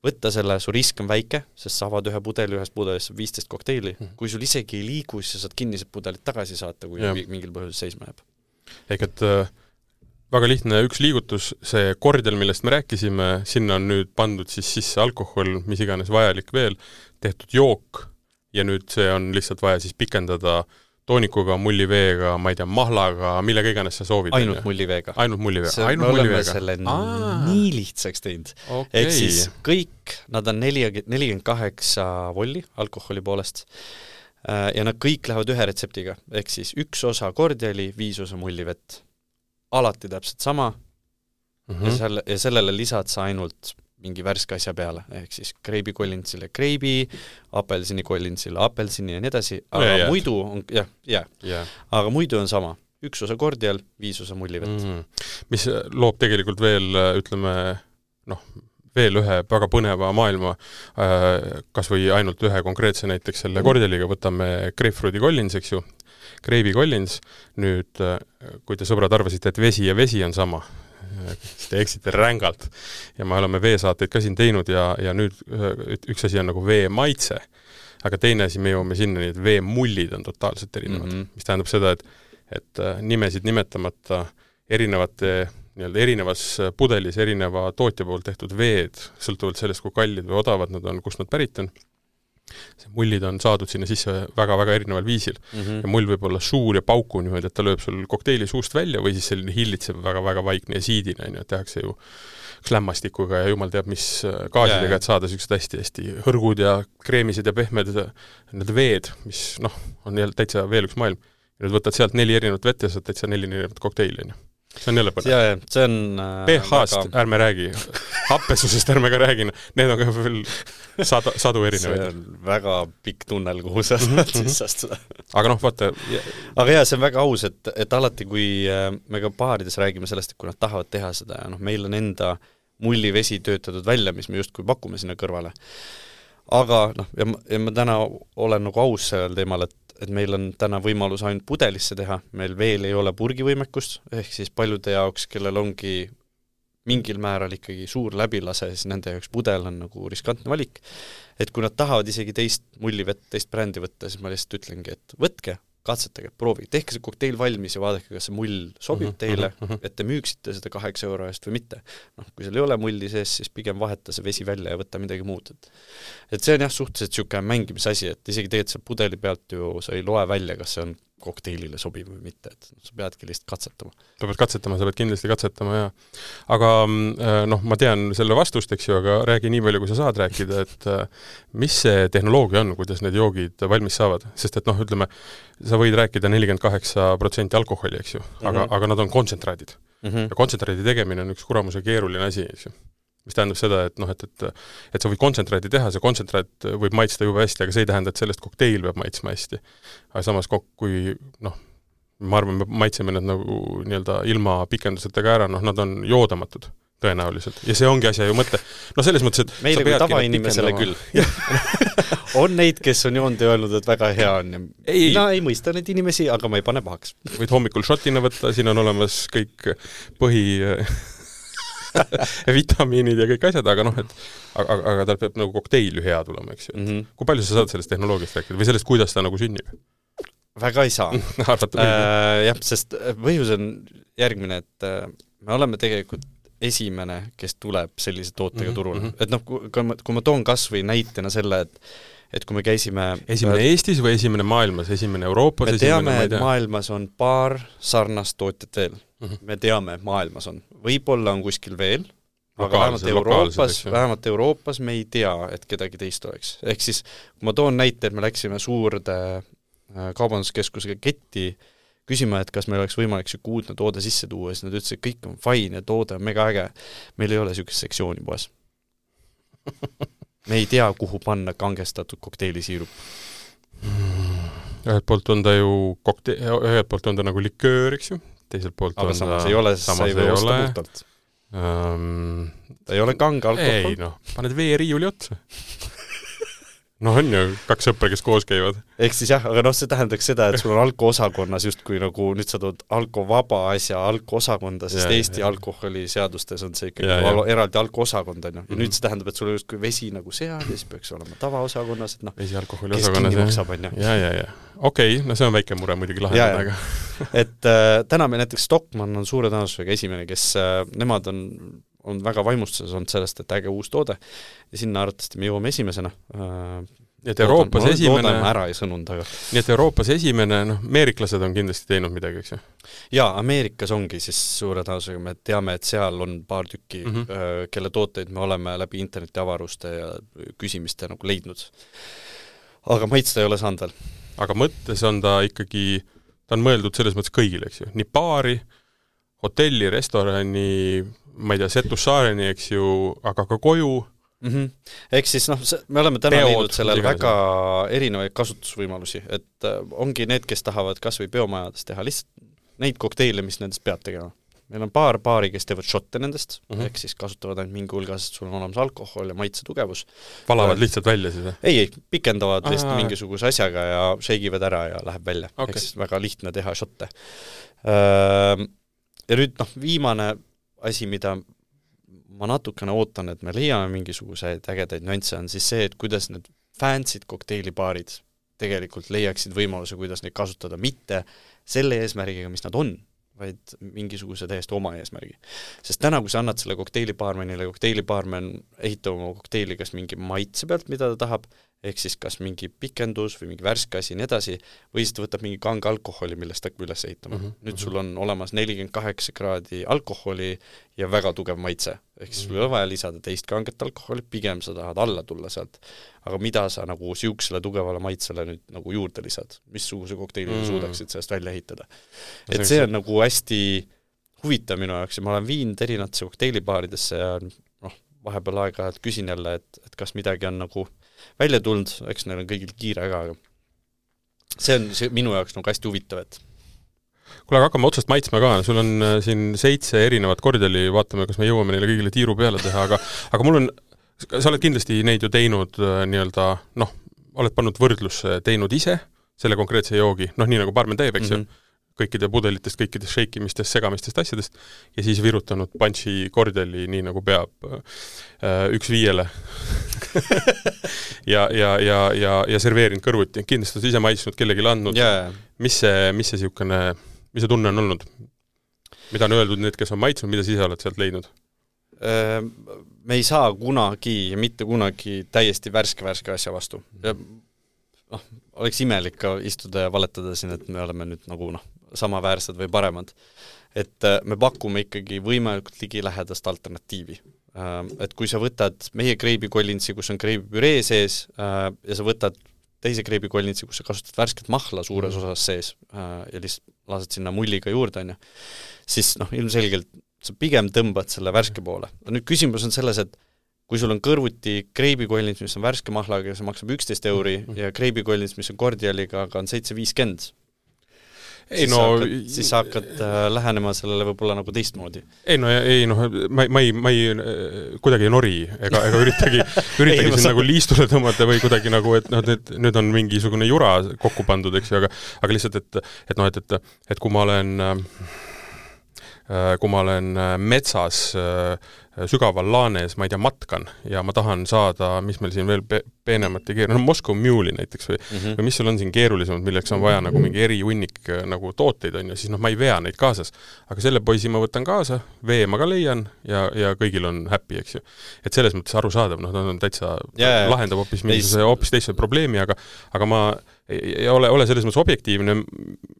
võtta selle, su risk on väike, sest sa avad ühe pudeli, ühest pudelist 15 kokteili. Kui sul isegi ei liigu, siis sa saad kinnised pudelit tagasi saata, kui mingil põhjusel seisma jääb.
Ehk et väga lihtne üks liigutus, see kordial, millest me rääkisime, sinna on nüüd pandud siis sisse alkohol, mis iganes vajalik veel, tehtud jook ja nüüd see on lihtsalt vaja siis pikendada toonikuga, mulliveega, ma ei tea, mahlaga, millega iganes sa soovid.
Ainult mulliveega.
Ainult mulliveega.
Me oleme selle nii lihtsaks teinud. Ehk siis kõik, nad on 48 volli alkoholi poolest ja nad kõik lähevad ühe retseptiga. Ehk siis 1 osa kordiali, 5 osa mullivett. Alati täpselt sama ja sellele lisad sa ainult mingi värske asja peale, ehk siis kreibi kollinsile kreibi, apelsini kollinsile apelsini ja nii edasi, aga muidu on, aga muidu on sama. 1 osa kordial, 5 osa mullivett.
Mis loob tegelikult veel, ütleme, veel ühe väga põneva maailma, kas või ainult ühe konkreetse näiteks selle kordialiga, võtame grapefruiti kollins, eks ju, kreibi kollins, nüüd kui te sõbrad arvasite, et vesi ja vesi on sama, te eksite rängalt ja me oleme veesaateid ka siin teinud ja nüüd üks asi on nagu vee maitse, aga teine asi me jõuame sinna, et vee mullid on totaalselt erinevad, mis tähendab seda, et nimesid nimetamata erinevate nii-öelda erinevas pudelis erineva tootja poolt tehtud veed, sõltuvalt sellest, kui kallid või odavad nad on, kust nad pärit on. See mullid on saadud sinna sisse väga-väga erineval viisil. Ja mull võib olla suur ja pauku niimoodi, et ta lööb sul kokteili suust välja või siis selline hillitsev väga-väga vaikne ja siidine, et tehakse ju lämmastikuga ja jumal teab, mis gaasidega, et saada sellised hästi-hästi hõrgud ja kreemised ja pehmed need veed, mis on jälle täitsa veel üks maailm. Ja nüüd võtad sealt 4 erinevat vett ja saad täitsa 4 erinevat kokteili. See on jälle põnev.
See on
pH-st ärme räägi, happesusest ärme ka räägi, need on ka veel sadu erinevaid.
See on väga pikk tunnel, kuhu sa saad siis astuda.
Aga vaata.
Aga see on väga aus, et alati, kui me ka baarides räägime sellest, et kui nad tahavad teha seda ja meil on enda mullivesi töötatud välja, mis me justkui pakume sinna kõrvale. Aga ja ma täna olen nagu aus sellel teemal, et meil on täna võimalus ainult pudelisse teha, meil veel ei ole purgivõimekust, ehk siis paljude jaoks, kellel ongi mingil määral ikkagi suur läbilase, siis nende jaoks pudel on nagu riskantne valik. Et kui nad tahavad isegi teist mullivett, teist brändi võtta, siis ma lihtsalt ütlengi, et võtke, katsetage, proovige, tehke see kokteil valmis ja vaadake, kas see mull sobib teile, et te müüksite seda 8 euro eest või mitte. Kui seal ei ole mulli sees, siis pigem vaheta see vesi välja ja võtta midagi muud. Et see on suhteliselt siuke mängimisasi, et isegi tegelikult seal pudeli pealt ju sa ei loe välja, kas see on kokteilile sobib või mitte, et sa peadki lihtsalt katsetama.
Sa pead kindlasti katsetama, ja. Aga ma tean selle vastust, eks ju, aga räägi nii palju, kui sa saad rääkida, et mis see tehnoloogia on, kuidas need joogid valmis saavad, sest et ütleme, sa võid rääkida 48% alkoholi, eks ju, aga nad on kontsentraadid. Ja kontsentraadi tegemine on üks kuramuse keeruline asi, eks ju. Mis tähendab seda, et sa võid kontsentraati teha, see kontsentraat võib maitsta juba hästi, aga see ei tähenda, et sellest kokteil peab maitsma hästi. Aga samas, kui ma arvan, me maitseme need nagu nii-öelda ilma pikendusetega ära, nad on joodamatud tõenäoliselt. Ja see ongi asja ju mõte. Selles mõttes, et
meile kui tavainimesele küll. On neid, kes on joonud ja öelnud, et väga hea on. Mina ei mõista neid inimesi, aga ma ei pane pahaks.
Võid hommikul šotina võtta, siin on olemas kõik vitamiinid ja kõik asjad, aga tal peab nagu kokteil hea tulema, eks ju. Kui palju sa saad sellest tehnoloogiast rääkida või sellest, kuidas ta nagu sünnib?
Väga ei saa. Jah, sest põhjus on järgmine, et me oleme tegelikult esimene, kes tuleb sellise tootega turule. Et kui ma toon kas või näitena selle, et kui me käisime
esimene Eestis või esimene maailmas, esimene Euroopas?
Me teame, et maailmas on paar sarnast tootjat veel. Me teame, et maailmas on. Võib-olla on kuskil veel, aga vähemalt Euroopas me ei tea, et kedagi teist oleks. Ehk siis, kui ma toon näite, et me läksime suurde kaubanduskeskusega ketti küsima, et kas meil oleks võimalik siuke uudne toode sisse tuua, siis nad ütlesid, et kõik on fine ja toode on mega äge. Meil ei ole siukest sektsiooni poes. Me ei tea, kuhu panna kangestatud kokteilisuirup.
Ühelt poolt on ta ühelt poolt on ta nagu liköör, eks ju? Teiselt poolt
aga samas ei ole, sa ei või osta puhtalt. Ta ei ole kange alkohol.
Ei, paned veeriiuli otsa. On ju 2 sõpra, kes koos käivad.
Ehk siis jah, aga see tähendaks seda, et sul on alko-osakonnas justkui nagu nüüd sa tood alko-vaba asja alko-osakonda, sest Eesti alkoholiseadustes on see ikkagi eraldi alko-osakond, on ju. Ja nüüd see tähendab, et sul on justkui vesi nagu seal ja siis peaks olema tavaosakonnas, et
vesi alkoholi osakonnas.
Kes kinni maksab, on ju.
Ja. Okei, see on väike mure muidugi lahendada, aga.
Et täna meil näiteks Stockmann on suure tõenäosusega esimene, kes nemad on väga vaimustuses olnud sellest, et äge uus toode ja sinna arvatavasti me jõuame esimesena.
Nii et Euroopas esimene...
ära ei sõnunud, aga...
Nii et Euroopas esimene, ameeriklased on kindlasti teinud midagi, eks ju?
Jaa, Ameerikas ongi siis suure tõenäosusega, me teame, et seal on paar tükki, kelle tooteid me oleme läbi interneti avaruste ja küsimiste nagu leidnud. Aga maitsta ei ole saanud veel.
Aga mõttes on ta ikkagi, ta on mõeldud selles mõttes kõigile, eks ju? Nii baari, hotelli, restorani, ma ei tea, Setussaareni, eks ju, aga ka koju.
Ehk siis me oleme täna leidnud sellel väga erinevaid kasutusvõimalusi, et ongi need, kes tahavad kas või peomajades teha lihtsalt neid kokteile, mis nendest peab tegema. Meil on paar baari, kes teevad šotte nendest, ehk siis kasutavad ainult mingi hulgas, et sul on olemas alkohol ja maitsetugevus.
Valavad lihtsalt välja siis?
Ei, pikendavad lihtsalt mingisuguse asjaga ja šeigivad ära ja läheb välja. Ehk siis väga lihtne teha šotte. Ja nüüd viimane asi, mida ma natukene ootan, et me leiame mingisuguseid ägedaid nüansse, on siis see, et kuidas need fansid kokteilibaarid tegelikult leiaksid võimaluse, kuidas neid kasutada, mitte selle eesmärgiga, mis nad on, vaid mingisuguse täiesti oma eesmärgi. Sest täna, kui sa annad selle kokteilibaarmenile, kokteilibaarmen ehitab oma kokteili kas mingi maitse pealt, mida ta tahab, ehk siis kas mingi pikendus või mingi värske asi nii edasi, või siis ta võtab mingi kange alkoholi, millest ta hakkab üles ehitama. Nüüd sul on olemas 48 kraadi alkoholi ja väga tugev maitse. Ehk siis sul ei ole vaja lisada teist kanget alkoholi, pigem sa tahad alla tulla sealt. Aga mida sa nagu siuksele tugevale maitsele nüüd nagu juurde lisad? Missuguse kokteili suudaksid sellest välja ehitada? Et see on nagu hästi huvitav minu jaoks ja ma olen viinud erinevatesse kokteilibaaridesse ja vahepeal aega küsin jälle, et kas midagi on nagu välja tulnud, eks neil on kõigil kiire ka, aga see on minu jaoks nagu hästi huvitav, et
kuule, aga hakkame otsast maitsma ka, sul on siin 7 erinevat kordiali, vaatame, kas me jõuame neile kõigile tiiru peale teha, aga mul on, sa oled kindlasti neid ju teinud nii-öelda, oled pannud võrdlusse teinud ise selle konkreetse joogi, nii nagu baarmen teeb, eks ju, kõikide pudelitest, kõikidest sheikimistest, segamistest asjadest ja siis virutanud punchi kordiali nii nagu peab 1:5 ja serveerinud kõrvuti. Kindlasti oled ise maitsnud, kellelegi andnud. Mis see tunne on olnud? Mida on öeldud need, kes on maitsnud, mida sa ise oled sealt leidnud?
Me ei saa kunagi ja mitte kunagi täiesti värske asja vastu. Ja oleks imelik ka istuda ja valetada siin, et me oleme nüüd nagu samaväärsed või paremad. Et me pakume ikkagi võimalikult ligilähedast alternatiivi. Et kui sa võtad meie kreibikollinsi, kus on kreibipüree sees ja sa võtad teise kreibikollinsi, kus sa kasutad värsket mahla suures osas sees ja lihtsalt lased sinna mulliga juurde, siis ilmselgelt sa pigem tõmbad selle värske poole. Nüüd küsimus on selles, et kui sul on kõrvuti kreibikollins, mis on värske mahlaga ja see maksab 11 euri ja kreibikollins, mis on kordialiga, aga on 7.50, siis sa hakkad lähenema sellele võib-olla nagu teistmoodi.
Ma ei kuidagi nori ega üritagi siin nagu liistule tõmmata või kuidagi nagu, et nüüd on mingisugune jura kokku pandud, eks ju, aga lihtsalt, et kui ma olen metsas sügaval laanes, ma ei tea, matkan ja ma tahan saada, mis meil siin veel peenemat ja keerulisem, Moskva Mule'i näiteks või mis sul on siin keerulisemad, milleks on vaja nagu mingi erihunnik nagu tooteid on ja siis ma ei vea neid kaasas. Aga selle poisi ma võtan kaasa, vee ma ka leian ja kõigil on happy, eks ju. Et selles mõttes arusaadav, on täitsa lahendab hoopis teise probleemi, aga ma ei ole selles mõttes objektiivne,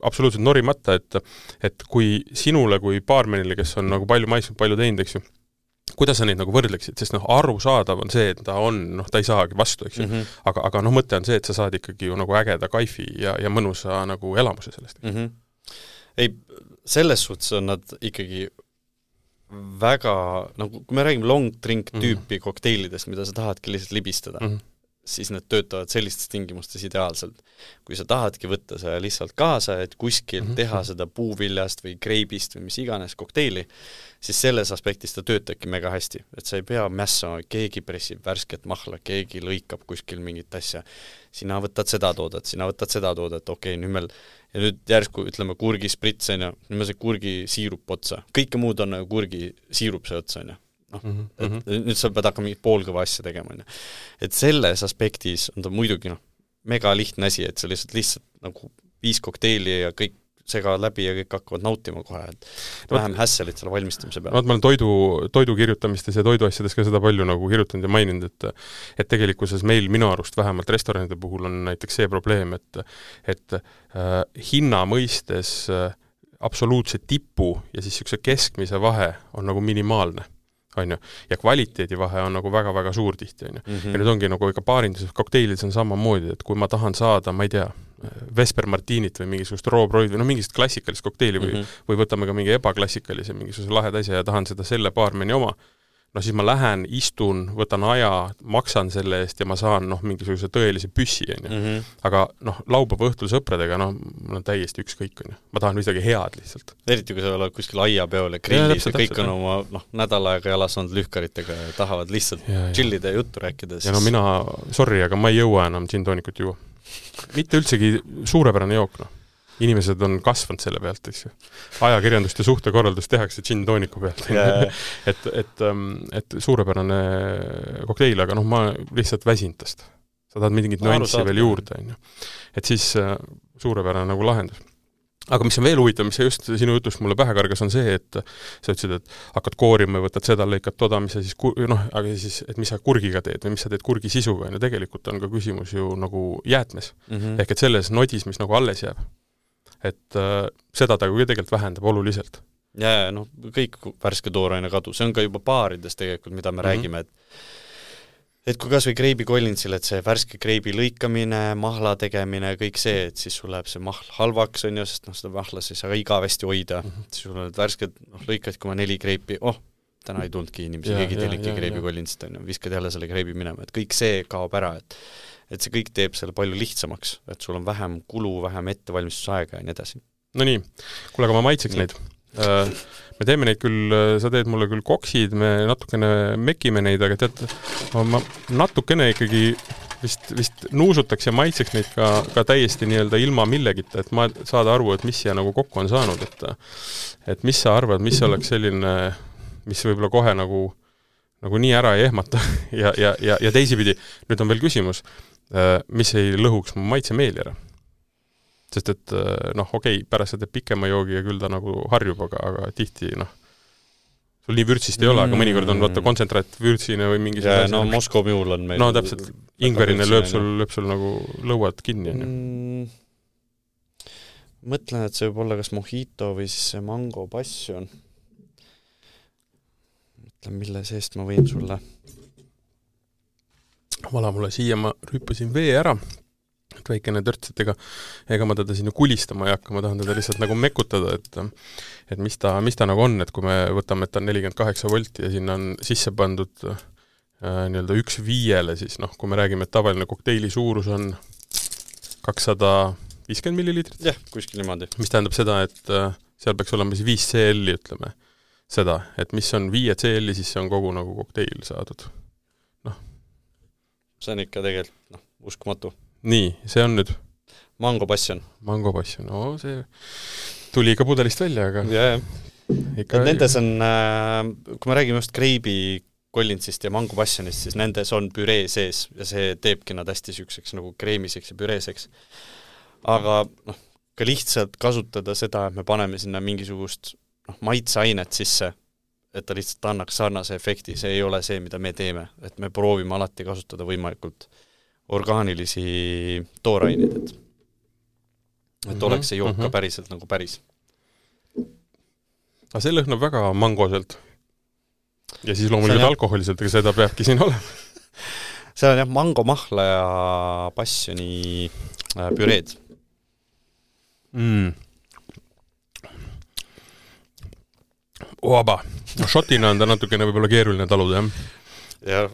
absoluutselt norimata, et kui sinule kui baarmenile, kes on nagu palju maitsnud, palju teinud, eks ju, kuidas sa neid nagu võrdleksid, sest arusaadav on see, et ta ei saagi vastu, eks ju. Aga mõte on see, et sa saad ikkagi ju nagu ägeda kaifi ja mõnusa nagu elamuse sellest.
Ei, selles suhtes on nad ikkagi väga, kui me räägime long drink tüüpi kokteilidest, mida sa tahadki lihtsalt libistada, siis need töötavad sellistes tingimustes ideaalselt. Kui sa tahadki võtta see lihtsalt kaasa, et kuskil teha seda puuviljast või kreibist või mis iganes kokteili, siis selles aspektis ta töötabki mega hästi. Et sa ei pea mässama, keegi pressib värsket mahla, keegi lõikab kuskil mingit asja. Sina võtad seda toodet, okei, nüüd järsku ütleme kurgisprits, nüüd me see kurgisiirup otsa. Kõike muud on kurgisiirup see otsa, nüüd sa pead hakkama mingit poolkõva asja tegema. Et selles aspektis on ta muidugi mega lihtne asi, et sa lihtsalt nagu 5 kokteili ja kõik segavad läbi ja kõik hakkavad nautima kohe, et vähem hässelit selle valmistamise peale. Ma
olen toidu kirjutamistes ja toiduasjades ka seda palju nagu kirjutanud ja maininud, et tegelikkuses meil minu arust vähemalt restoranide puhul on näiteks see probleem, et hinna mõistes absoluutse tipu ja siis niisuguse keskmise vahe on nagu minimaalne. Ja kvaliteedi vahe on nagu väga-väga suur tihti. Ja nüüd ongi nagu ikka baarinduses kokteilides on samamoodi, et kui ma tahan saada, ma ei tea, Vesper Martinit või mingisugust Roobroid või mingist klassikalist kokteili või võtame ka mingi ebaklassikalise mingisuguse laheda asja ja tahan seda selle baarmeni oma, siis ma lähen, istun, võtan aja, maksan selle eest ja ma saan mingisuguse tõelise püssi. Aga laupäeva õhtul sõpradega, mul on täiesti ükskõik. Ma tahan midagi head lihtsalt.
Eriti kui sa oled kuskil aiapeol ja grillis ja kõik on oma nädal aega jalas olnud lühkaritega ja tahavad lihtsalt chillida ja juttu rääkida.
Ja mina, sorry, aga ma ei jõua enam gin-toonikut juua. Mitte üldsegi suurepärane jook, Inimesed on kasvanud selle pealt, eks ju. Ajakirjandust ja suhtekorraldust tehakse gin-tooniku pealt. Et suurepärane kokteil, aga ma lihtsalt väsintast sa tahad mingit nüanssi veel juurde, on ju. Et siis suurepärane nagu lahendus. Aga mis on veel huvitav, mis just sinu jutust mulle pähe kargas, on see, et sa ütlesid, et hakkad koorima ja võtad seda, lõikad toda, mis sa siis, aga siis, et mis sa kurgiga teed või mis sa teed kurgi sisuga, ja tegelikult on ka küsimus ju nagu jäätmes. Ehk et selles nodis, mis nagu alles jääb. Et seda ta ju tegelikult vähendab oluliselt.
Ja, noh, kõik värske tooraine kadu, see on ka juba baarides tegelikult, mida me räägime, et kui kas või kreibi Collinsil, et see värske kreibi lõikamine, mahla tegemine, kõik see, et siis sul läheb see mahl halvaks, on ju, sest seda mahla siis aga igavesti hoida, siis sul on värsked, lõikad, kui ma 4 kreipi, täna ei tulnudki inimesi, keegi teeliki kreibi Collinsit, on ju, viskad jälle selle kreibi minema, et kõik see kaob ära, et see kõik teeb selle palju lihtsamaks, et sul on vähem kulu, vähem ettevalmistusaega ja nii edasi.
No nii, kuule, aga ma maitseks neid. Me teeme neid küll, sa teed mulle küll koksid, me natukene mekime neid, aga tead, ma natukene ikkagi vist nuusutaks ja maitseks neid ka täiesti nii-öelda ilma millegita, et ma saada aru, et mis siia nagu kokku on saanud, et mis sa arvad, mis oleks selline, mis võib-olla kohe nagu nii ära ei ehmata ja teisipidi, nüüd on veel küsimus, mis ei lõhuks mu maitsemeeli ära. Sest et pärast sa teed pikema joogi ja küll ta nagu harjub, aga tihti, sul nii vürtsist ei ole, aga mõnikord on kontsentraat vürtsine või mingi
ja, Moskva mjuul on meil
täpselt, ingverine lööb sul nagu lõuad kinni.
Mõtlen, et see võib olla kas mojito või siis see mango passion. Mõtlen, mille seest ma võin sulle.
Vala mulle siia, ma rüüpasin vee ära. Et väikene törts, ega ma teda sinna kulistama ei hakka, ma tahan teda lihtsalt nagu mekutada, et mis ta nagu on, et kui me võtame, et ta on 48 volti ja sinna on sisse pandud nii-öelda 1/5, siis kui me räägime, et tavaline kokteili suurus on 250 milliliitrit.
Jah, kuskil niimoodi.
Mis tähendab seda, et seal peaks olema siis 5 CL-i, ütleme, seda, et mis on 5 CL-i, siis see on kogu nagu kokteil saadud.
See on ikka tegelikult, uskumatu.
Nii, see on nüüd?
Mango passion.
Mango passion, see tuli ikka pudelist välja, aga...
Ja. Nendes on, kui me räägime just kreibi Collinsist ja mango passionist, siis nendes on püree sees ja see teebki nad hästi sükseks nagu kreemiseks ja püreeseks. Aga ka lihtsalt kasutada seda, et me paneme sinna mingisugust maitseainet sisse, et ta lihtsalt annaks sarnase efekti, see ei ole see, mida me teeme, et me proovime alati kasutada võimalikult orgaanilisi tooraineid, et oleks see jook ka päriselt nagu päris.
Aga see lõhnab väga mangoselt. Ja siis loomulikult alkoholiselt, aga seda peabki siin olema.
See on mango mahla ja passioni püreed.
Oaba. Šotina on ta natukene võib-olla keeruline taluda, jah?
Ja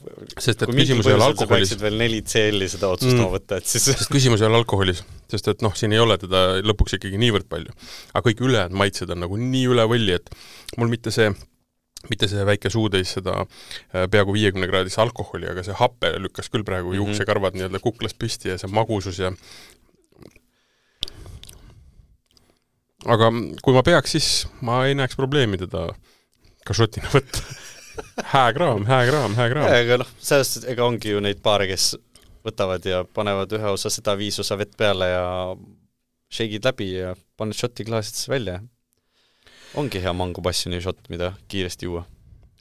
sest et küsimus ei ole alkoholis.
Veel 4 CL-i seda otsustama võtta, et siis...
Sest küsimus ei ole alkoholis, sest et siin ei ole teda lõpuks ikkagi niivõrd palju. Aga kõik ülejäänud maitsed on nagu nii üle võlli, et mul mitte see väike suudeis seda peaaegu 50 kraadis alkoholi, aga see happe lükkas küll praegu juuksekarvad nii-öelda kuklas püsti ja see magusus ja... Aga kui ma peaks, siis ma ei näeks probleemi teda ka šotina võtta. Hää kraam.
Aga sellest ega ongi ju neid paare, kes võtavad ja panevad ühe osa seda 5 osa vett peale ja shake'id läbi ja paned šoti klaasidesse välja. Ongi hea mango passioni šot, mida kiiresti juua.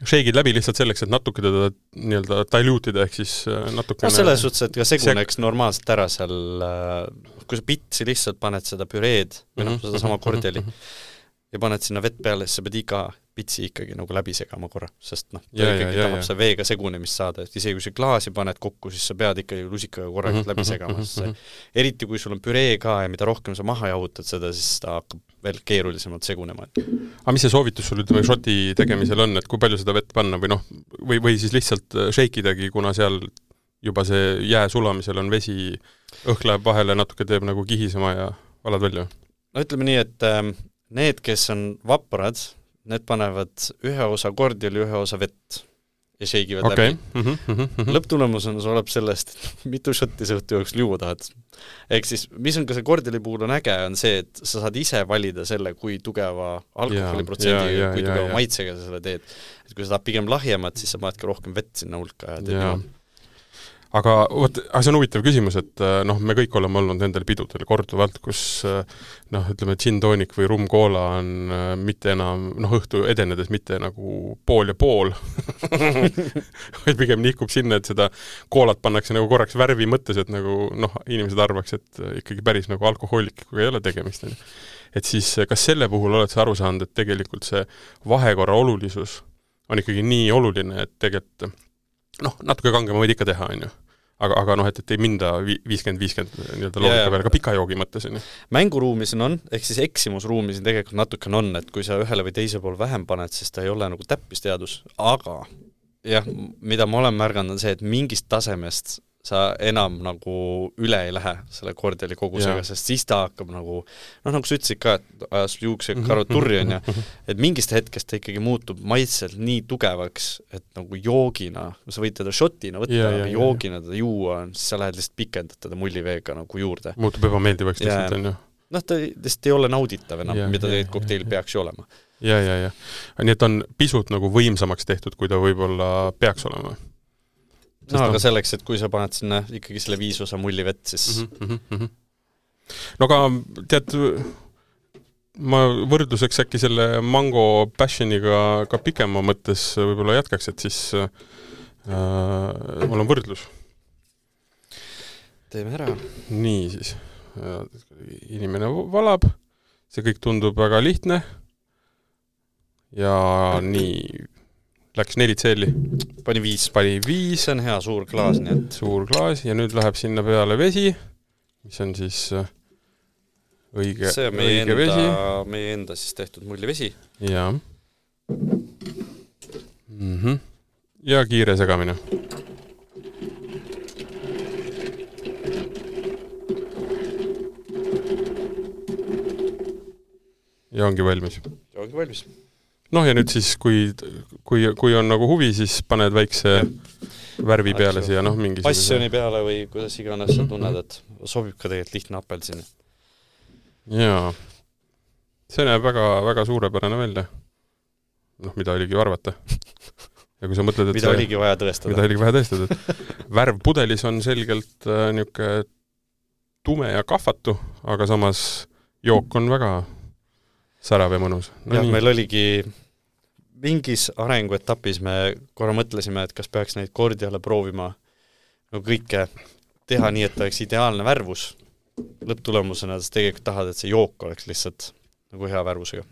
Shake'id läbi lihtsalt selleks, et natuke teda nii-öelda dilutida, ehk siis natukene...
selles suhtes, et ka seguneks normaalselt ära seal, kui sa pitsi lihtsalt paned seda püreed või seda sama kordjali ja paned sinna vett peale, siis sa pead iga pitsi ikkagi nagu läbi segama korra, sest tahab see veega segunemist saada, et isegi kui see klaasi paned kokku, siis sa pead ikkagi lusikaga korralikult läbi segama, eriti kui sul on püree ka ja mida rohkem sa maha jahutad seda, siis ta hakkab veel keerulisemalt segunema.
Aga mis see soovitus sul ütleme šoti tegemisel on, et kui palju seda vett panna või siis lihtsalt shake'idagi, kuna seal juba see jää sulamisel on vesi, õhk läheb vahele, natuke teeb nagu kihisema ja valad välja?
No ütleme nii, et need, kes on vaprad, need panevad ühe osa kordjali, ühe osa vett ja shake'ivad läbi. Lõpptulemus on oleb sellest, et mitu šotti sa õhtu jooksul juua tahad. Ehk siis, mis on ka see kordjali puhul on äge, on see, et sa saad ise valida selle, kui tugeva alkoholiprotsendi ja kui tugeva maitsega sa selle teed. Et kui sa tahad pigem lahjemat, siis sa panedki rohkem vett sinna hulka ja teed juua.
aga see on huvitav küsimus, et me kõik oleme olnud nendel pidudel korduvalt, kus ütleme, gin tonic või rum cola on mitte enam, õhtu edenedes mitte nagu pool ja pool, vaid pigem nihkub sinna, et seda koolat pannakse nagu korraks värvi mõttes, et nagu inimesed arvaks, et ikkagi päris nagu alkohoolikuga ei ole tegemist. Et siis kas selle puhul oled sa aru saanud, et tegelikult see vahekorra olulisus on ikkagi nii oluline, et tegelikult natuke kangema võid ikka teha, on ju. Aga et ei minda 50-50 loogika peale, ka pika joogi mõttes, on ju.
Mänguruumis on, ehk siis eksimusruumis tegelikult natuke on, et kui sa ühele või teise pool vähem paned, siis ta ei ole nagu täppisteadus, aga jah, mida ma olen märganud on see, et mingist tasemest sa enam nagu üle ei lähe selle kordiali kogusega, sest siis ta hakkab nagu, nagu sa ütlesid ka, et ajas juukse karoturri on ja, et mingist hetkest ta ikkagi muutub maitselt nii tugevaks, et nagu joogina, sa võid teda shotina võtta, aga joogina teda juua, siis sa lähed lihtsalt pikendad teda mulliveega nagu juurde.
Muutub ebameeldivaks lihtsalt, on ju.
Ta lihtsalt ei ole nauditav enam, mida tegelikult kokteil peaks ju olema.
Ja. Nii et on pisut nagu võimsamaks tehtud, kui ta võib-olla peaks olema.
Aga selleks, et kui sa paned sinna ikkagi selle 5 osa mullivett, siis...
No aga tead, ma võrdluseks äkki selle mango passioniga ka pikema mõttes võib-olla jätkaks, et siis mul on võrdlus.
Teeme ära.
Nii siis. Inimene valab, see kõik tundub väga lihtne ja nii... Läks 4 tselli.
Pani 5.
See
on hea suur klaas, nii et...
Suur klaas ja nüüd läheb sinna peale vesi, mis on siis õige vesi.
See on meie enda siis tehtud mullivesi.
Ja. Ja kiire segamine. Ja ongi valmis. Ja nüüd siis, kui on nagu huvi, siis paned väikse värvi peale siia, mingi...
Passioni peale või kuidas iganes sa tunned, et sobib ka tegelikult lihtne apelsini.
Jaa. See näeb väga, väga suurepärane välja. Mida oligi arvata. Ja kui sa mõtled, et
mida oligi vaja tõestada.
Et värv pudelis on selgelt niuke tume ja kahvatu, aga samas jook on väga... särav ja mõnus.
Meil oligi mingis arenguetapis me korra mõtlesime, et kas peaks neid kordiale proovima kõike teha nii, et oleks ideaalne värvus lõpptulemusena, sest tegelikult tahad, et see jook oleks lihtsalt nagu hea värvusega.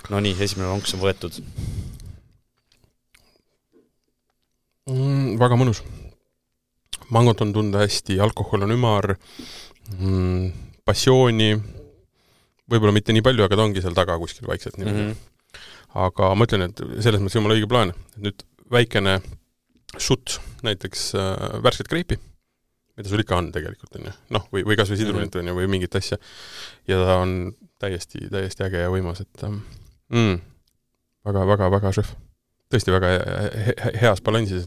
No nii, esimene lonks on võetud.
Väga mõnus. Mangot on tunda hästi, alkohol on ümar, passiooni, võib-olla mitte nii palju, aga ta ongi seal taga kuskil vaikselt. Aga ma ütlen, et selles mõttes jumala õige plaan. Nüüd väikene šut, näiteks värsket kreipi, mida sul ikka on tegelikult, on ju. Või kas või sidrunit on ju, või mingit asja. Ja ta on täiesti äge ja võimas, et väga šef. Tõesti väga heas balansis.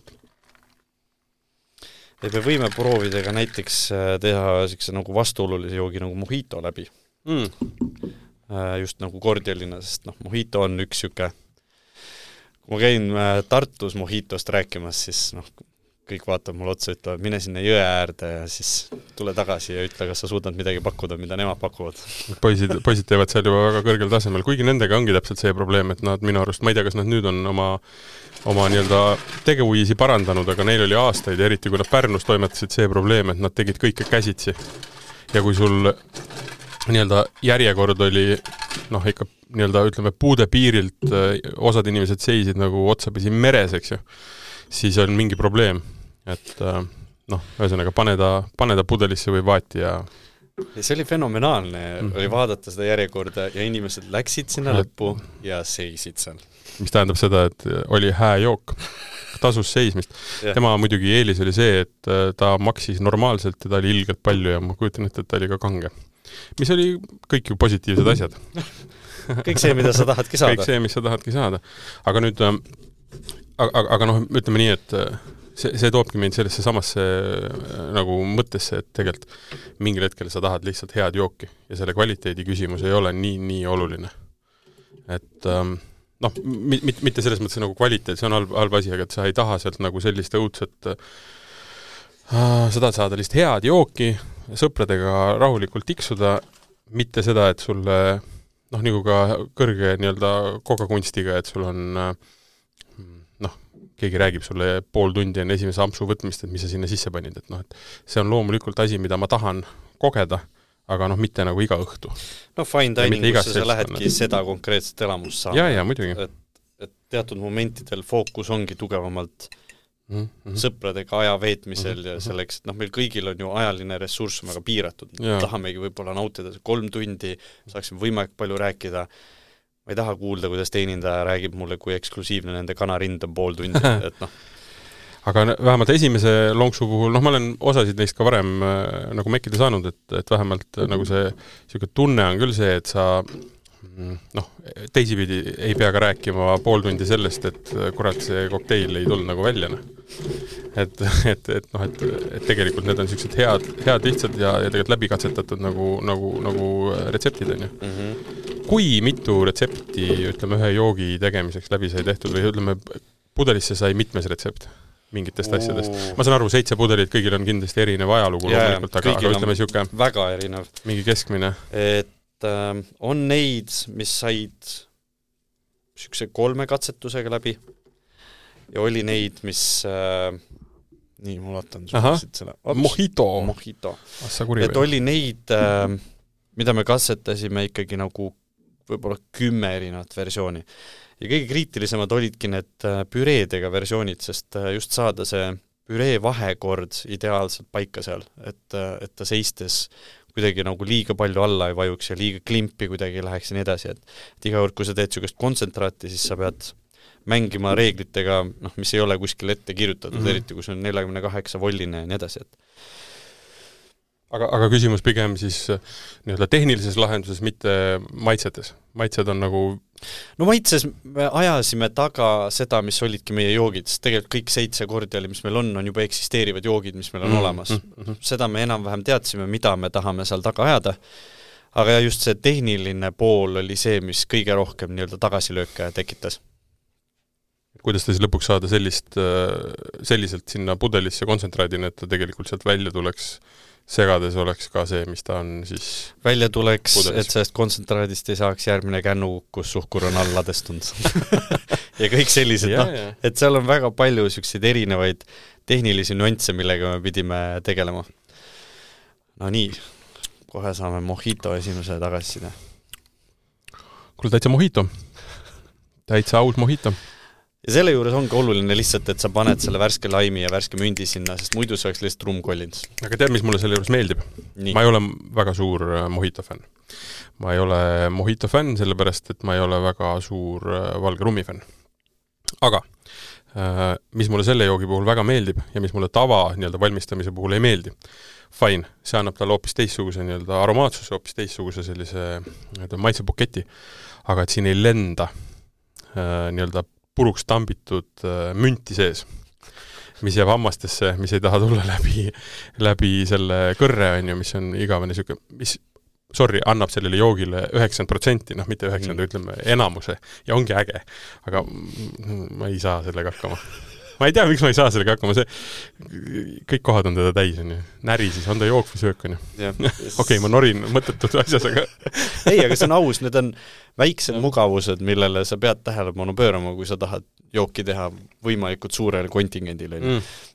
Et me võime proovida ka näiteks teha nagu vastuolulise joogi nagu mojito läbi. Just nagu kordialina, sest mojito on üks süke. Kui ma käin Tartus mojitost rääkimas, siis kõik vaatab mulle otsa, ütlevad, mine sinna jõe äärde ja siis tule tagasi ja ütle, kas sa suudad midagi pakkuda, mida nemad pakuvad.
Poisid teevad seal juba väga kõrgel tasemel, kuigi nendega ongi täpselt see probleem, et nad minu arust, ma ei tea, kas nad nüüd on oma nii-öelda tegevuisi parandanud, aga neil oli aastaid, eriti kui nad Pärnus toimetasid see probleem, et nad tegid kõike käsitsi. Ja kui sul nii-öelda järjekord oli ikka nii-öelda ütleme puude piirilt osad inimesed seisid nagu otsapisi meres, eks ju, siis on mingi probleem, et ühesõnaga pane ta pudelisse või vaati ja
see oli fenomenaalne, oli vaadata seda järjekorda ja inimesed läksid sinna lõppu ja seisid seal.
Mis tähendab seda, et oli hää jook, tasus seismist. Tema muidugi eelis oli see, et ta maksis normaalselt ja ta oli ilgelt palju ja ma kujutan ette, et ta oli ka kange. Mis oli kõik ju positiivsed asjad.
Kõik see, mida sa tahadki saada.
Kõik see, mis sa tahadki saada. Aga nüüd, ütleme nii, et see toobki meid sellesse samasse nagu mõttesse, et tegelikult mingil hetkel sa tahad lihtsalt head jooki ja selle kvaliteedi küsimus ei ole nii oluline. Et mitte selles mõttes nagu kvaliteet, see on halb asi, aga et sa ei taha sealt nagu sellist õudset sa tahad saada lihtsalt head jooki, sõpradega rahulikult tiksuda, mitte seda, et sulle nagu ka kõrge nii-öelda kogakunstiga, et sul on keegi räägib sulle pool tundi enne esimese ampsu võtmist, et mis sa sinna sisse panid, et et see on loomulikult asi, mida ma tahan kogeda, aga mitte nagu iga õhtu.
Fine diningusse sa lähedki seda konkreetset elamust saama.
Ja, muidugi.
Et teatud momentidel fookus ongi tugevamalt sõpradega aja veetmisel ja selleks, et meil kõigil on ju ajaline ressurss väga piiratud. Tahamegi võib-olla nautida 3 tundi, saaksime võimalik palju rääkida. Ma ei taha kuulda, kuidas teenindaja räägib mulle, kui eksklusiivne nende kanarind on pool tundi.
Aga vähemalt esimese lonksu puhul, ma olen osasid neist ka varem nagu mekkida saanud, et vähemalt nagu see tunne on küll see, et sa teisipidi ei pea ka rääkima pool tundi sellest, et kurat see kokteil ei tulnud nagu välja. Et tegelikult need on sellised head lihtsad ja tegelikult läbikatsetatud nagu retseptid on ju. Kui mitu retsepti, ütleme, ühe joogi tegemiseks läbi sai tehtud või ütleme, pudelisse sai mitmes retsept mingitest asjadest? Ma saan aru, 7 pudelit, kõigil on kindlasti erinev ajalugu loomulikult, aga ütleme siuke
väga erinev.
Mingi keskmine.
Et on neid, mis said siukse 3 katsetusega läbi ja oli neid, mis nii, mul otan
selle. Mojito.
Et oli neid, mida me katsetasime ikkagi nagu võib-olla 10 erinevat versiooni. Ja kõige kriitilisemad olidki need püreedega versioonid, sest just saada see püree vahekord ideaalselt paika seal, et ta seistes kuidagi nagu liiga palju alla ei vajuks ja liiga klimpi kuidagi läheks ja nii edasi, et iga kord, kui sa teed sellist kontsentraati, siis sa pead mängima reeglitega, mis ei ole kuskil ette kirjutatud, eriti kui see on 48 volline ja nii edasi, et
Aga küsimus pigem siis nii-öelda tehnilises lahenduses, mitte maitsetes. Maitsed on nagu...
No maitses me ajasime taga seda, mis olidki meie joogid, sest tegelikult kõik 7 kordiali, mis meil on juba eksisteerivad joogid, mis meil on olemas. Seda me enam-vähem teadsime, mida me tahame seal taga ajada, aga just see tehniline pool oli see, mis kõige rohkem nii-öelda tagasilööke tekitas.
Kuidas ta siis lõpuks saada selliselt sinna pudelisse kontsentraadina, et ta tegelikult sealt välja tuleks segades oleks ka see, mis ta on siis
välja tuleks, pudelis. Et sellest kontsentraadist ei saaks järgmine kännu, kus suhkur on all ladestunud. Ja kõik sellised, et seal on väga palju selliseid erinevaid tehnilisi nüansse, millega me pidime tegelema. No nii, kohe saame mojito esimese tagasiside.
Kuule, täitsa mojito. Täitsa aus mojito.
Ja selle juures ongi oluline lihtsalt, et sa paned selle värske laimi ja värske mündi sinna, sest muidu see oleks lihtsalt rumkollinud.
Aga tead, mis mulle selle juures meeldib? Nii. Ma ei ole väga suur mojito fänn. Ma ei ole mojito fänn, sellepärast, et ma ei ole väga suur valge rummi fänn. Aga mis mulle selle joogi puhul väga meeldib ja mis mulle tava nii-öelda valmistamise puhul ei meeldi, fine, see annab talle hoopis teistsuguse nii-öelda aromaatsuse, hoopis teistsuguse sellise maitsepuketi, aga et siin ei lenda nii-öelda puruks tambitud münti sees, mis jääb hammastesse, mis ei taha tulla läbi selle kõrre, mis on igavene siuke, mis, annab sellele joogile 90%, mitte 90%, ütleme enamuse, ja ongi äge, aga ma ei saa sellega hakkama. Ma ei tea, miks ma ei saa sellega hakkama, kõik kohad on teda täis, on ju. Näri siis, on ta jook või söök, on ju. Okei, ma norin mõttetud asjas, aga...
Ei, aga see on aus, need on väiksed mugavused, millele sa pead tähelepanu pöörama, kui sa tahad jooki teha võimalikult suurele kontingendile.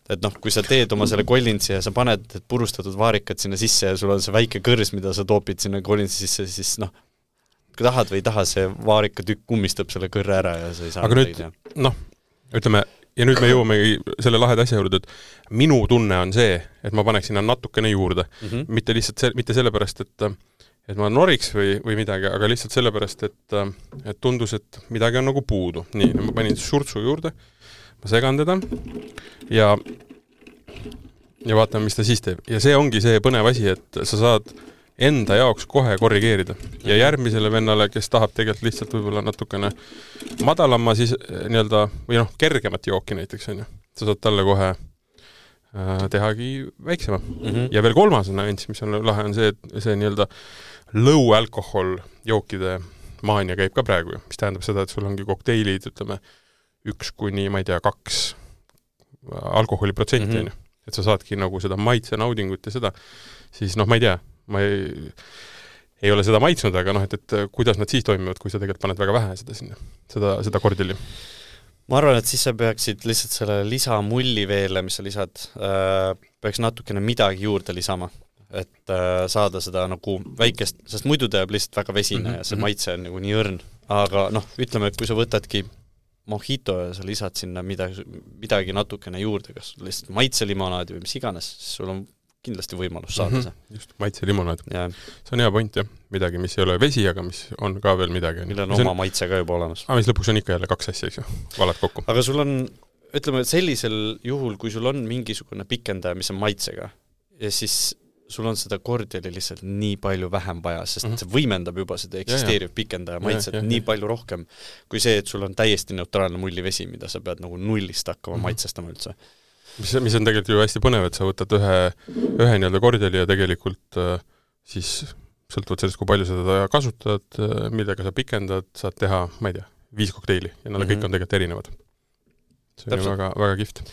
Et kui sa teed oma selle kollintsi ja sa paned purustatud vaarikad sinna sisse ja sul on see väike kõrs, mida sa toopid sinna kollintsi sisse, siis kui tahad või ei taha, see vaarikatükk kummistab selle kõrre ära ja sa ei saa...
Aga nüüd, ütleme, ja nüüd me jõuamegi selle laheda asja juurde, et minu tunne on see, et ma paneks sinna natukene juurde. Mitte lihtsalt mitte sellepärast, et ma noriks või midagi, aga lihtsalt sellepärast, et tundus, et midagi on nagu puudu. Nii, ma panin surtsu juurde, ma segan teda ja vaatame, mis ta siis teeb. Ja see ongi see põnev asi, et sa saad enda jaoks kohe korrigeerida. Ja järgmisele vennale, kes tahab tegelikult lihtsalt võib-olla natukene madalama siis nii-öelda, või kergemat jooki näiteks on ju. Sa saad talle kohe tehagi väiksema. Ja veel kolmas nüanss, mis on lahe, on see, et see nii-öelda low alkohol jookide maania käib ka praegu, mis tähendab seda, et sul ongi kokteilid, ütleme, 1 kuni, ma ei tea, 2 alkoholiprotsenti on ju. et sa saadki nagu seda maitse naudingut ja seda, siis noh, ma ei tea, ma ei ole seda maitsnud, aga noh, et kuidas nad siis toimivad, kui sa tegelikult paned väga vähe seda sinna, seda kordili.
Ma arvan, et siis sa peaksid lihtsalt selle lisamulli veele, mis sa lisad, peaks natukene midagi juurde lisama, et saada seda nagu väikest, sest muidu ta jääb lihtsalt väga vesine ja see maitse on nagu nii õrn. Aga noh, ütleme, et kui sa võtadki mojito ja sa lisad sinna midagi natukene juurde, kas lihtsalt maitselimonaadi või mis iganes, siis sul on kindlasti võimalus saada see.
Just, maitselimonaad. See on hea point, jah. Midagi, mis ei ole vesi, aga mis on ka veel midagi.
Millel on oma maitse ka juba olemas.
Mis lõpuks on ikka jälle 2 asja, eks ju, valad kokku.
Aga sul on, ütleme, sellisel juhul, kui sul on mingisugune pikendaja, mis on maitsega, ja siis sul on seda kordjali lihtsalt nii palju vähem vaja, sest see võimendab juba seda eksisteeriv pikendaja maitset nii palju rohkem, kui see, et sul on täiesti neutraalne mullivesi, mida sa pead nagu nullist hakkama maitsestama üldse.
Mis on tegelikult ju hästi põnev, et sa võtad ühe nii-öelda kordjali ja tegelikult siis sõltuvalt sellest, kui palju sa teda kasutad, millega sa pikendad, saad teha, ma ei tea, 5 kokteili ja nad kõik on tegelikult erinevad. See on väga, väga kihvt.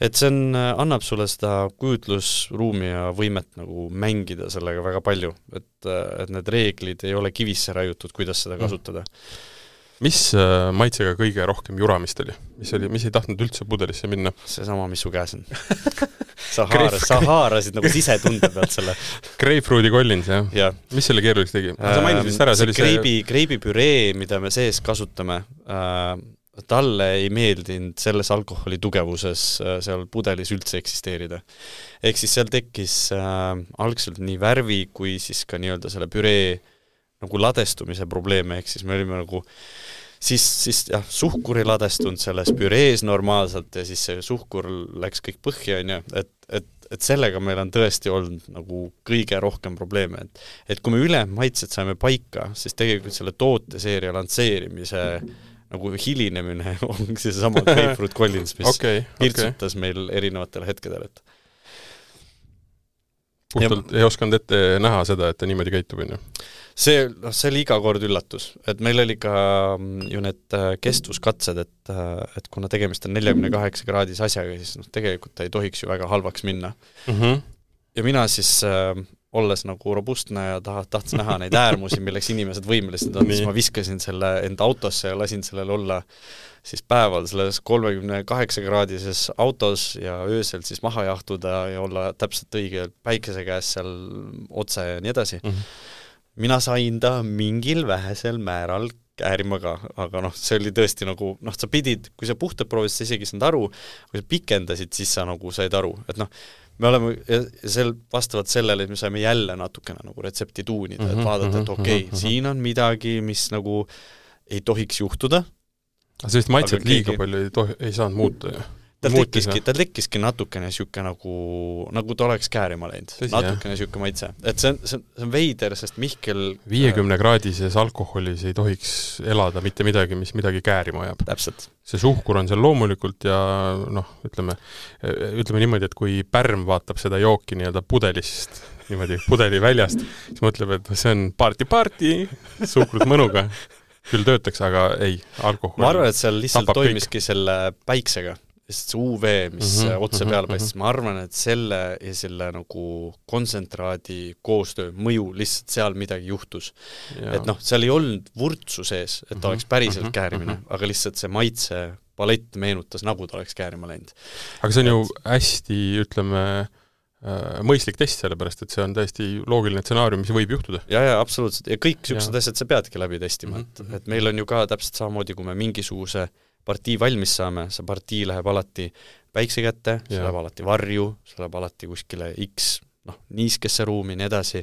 Et see annab sulle seda kujutlusruumi ja võimet nagu mängida sellega väga palju, et need reeglid ei ole kivisse raiutud, kuidas seda kasutada.
Mis maitsega kõige rohkem juramist oli? Mis ei tahtnud üldse pudelisse minna?
See sama, mis su käes on. Sa haarasid nagu sisetunde pealt selle.
Grapefruiti Collins, jah? Ja. Mis selle keerulis tegi? Sa mainisid ära,
see kreibipüree, mida me sees kasutame, talle ei meeldinud selles alkoholi tugevuses seal pudelis üldse eksisteerida. Ehk siis seal tekkis algselt nii värvi kui siis ka nii-öelda selle püree nagu ladestumise probleeme, ehk siis me olime nagu siis jah, suhkuri ladestunud selles pürees normaalselt ja siis see suhkur läks kõik põhja, et sellega meil on tõesti olnud nagu kõige rohkem probleeme, et kui me üle maitsed saime paika, siis tegelikult selle tooteseeria lansseerimise nagu hilinemine on see sama Grapefruit Collins, mis pirtsutas meil erinevatel hetkedel, et
puhtalt ei osanud ette näha seda, et ta niimoodi käitub, on ju?
See oli iga kord üllatus, et meil oli ka ju need kestvuskatsed, et kuna tegemist on 48 kraadis asjaga, siis tegelikult ta ei tohiks ju väga halvaks minna. Ja mina siis, olles nagu robustne ja tahtsin näha neid äärmusi, milleks inimesed võimelised on, siis ma viskasin selle enda autosse ja lasin sellel olla siis päeval selles 38 kraadises autos ja öösel siis maha jahtuda ja olla täpselt õige päikese käes seal otse ja nii edasi. Mina sain ta mingil vähesel määral käärima ka, aga see oli tõesti nagu, sa pidid, kui sa puhtalt proovisid, sa isegi saanud aru, kui sa pikendasid, siis sa nagu said aru, et me oleme vastavalt sellele, et me saime jälle natukene nagu retsepti tuunida, et vaadata, et okei, siin on midagi, mis nagu ei tohiks juhtuda.
Aga sellist maitset liiga palju ei saanud muuta ju.
Ta tekkiski natukene siuke nagu ta oleks käärima läinud. Natukene siuke maitse. Et see on veider, sest Mihkel
50 kraadises alkoholis ei tohiks elada mitte midagi, mis midagi käärima ajab.
Täpselt.
See suhkur on seal loomulikult ja ütleme niimoodi, et kui pärm vaatab seda jooki nii-öelda pudelist, niimoodi pudeli väljast, siis mõtleb, et see on party, suhkrut mõnuga. Küll töötaks, aga ei, alkohol.
Ma arvan, et seal lihtsalt toimiski selle päiksega. See UV, mis otse peale paistis, ma arvan, et selle ja selle nagu kontsentraadi koostöö mõju lihtsalt seal midagi juhtus. Et seal ei olnud vurtsu sees, et ta oleks päriselt käärimine, aga lihtsalt see maitse palett meenutas, nagu ta oleks käärima läinud.
Aga see on ju hästi, ütleme, mõistlik test, sellepärast, et see on täiesti loogiline stsenaarium, mis võib juhtuda.
Ja, absoluutselt. Ja kõik siuksed asjad sa peadki läbi testima. Et meil on ju ka täpselt samamoodi, kui me mingisuguse partii valmis saame, see partii läheb alati päikse kätte, see läheb alati varju, see läheb alati kuskile X, niiskesse ruumi, nii edasi,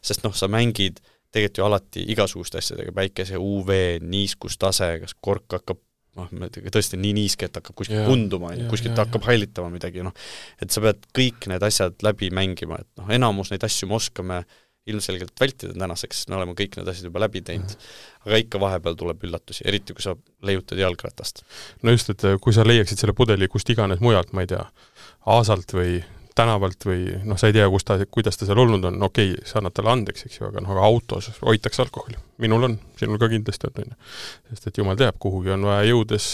sest sa mängid tegelikult ju alati igasuguste asjadega, päikese, UV, niiskustase, kas kork hakkab tõesti nii niiske, et hakkab kuskilt kunduma, kuskilt hakkab hallitama midagi, et sa pead kõik need asjad läbi mängima, et enamus neid asju me oskame ilmselgelt vältida tänaseks, sest me oleme kõik need asjad juba läbi teinud. Aga ikka vahepeal tuleb üllatusi, eriti kui sa leiutad jalgratast.
No just, et kui sa leiaksid selle pudeli kust iganes mujalt, ma ei tea, aasalt või tänavalt või sa ei tea, kuidas ta seal olnud on, okei, sa annad talle andeks, eks ju, aga autos hoitakse alkoholi. Minul on, sinul ka kindlasti on. Sest et jumal teab, kuhugi on vaja jõudes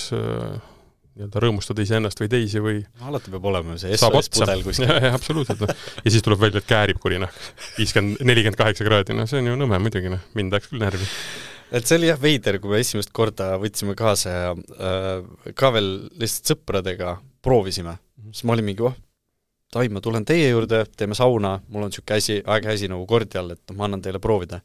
nii-öelda rõõmustada iseennast või teisi või
alati peab olema see SOS-pudel kuskil.
Ja, absoluutselt. No. Ja siis tuleb välja, et käärib kurinahk. 48 kraadi, no see on ju nõme muidugi, noh. Mind läks küll närvi.
Et see oli jah veider, kui me esimest korda võtsime kaasa ja ka veel lihtsalt sõpradega proovisime. Siis ma olin mingi, ma tulen teie juurde, teeme sauna, mul on siuke aeg-häsi nagu kordial, et ma annan teile proovida.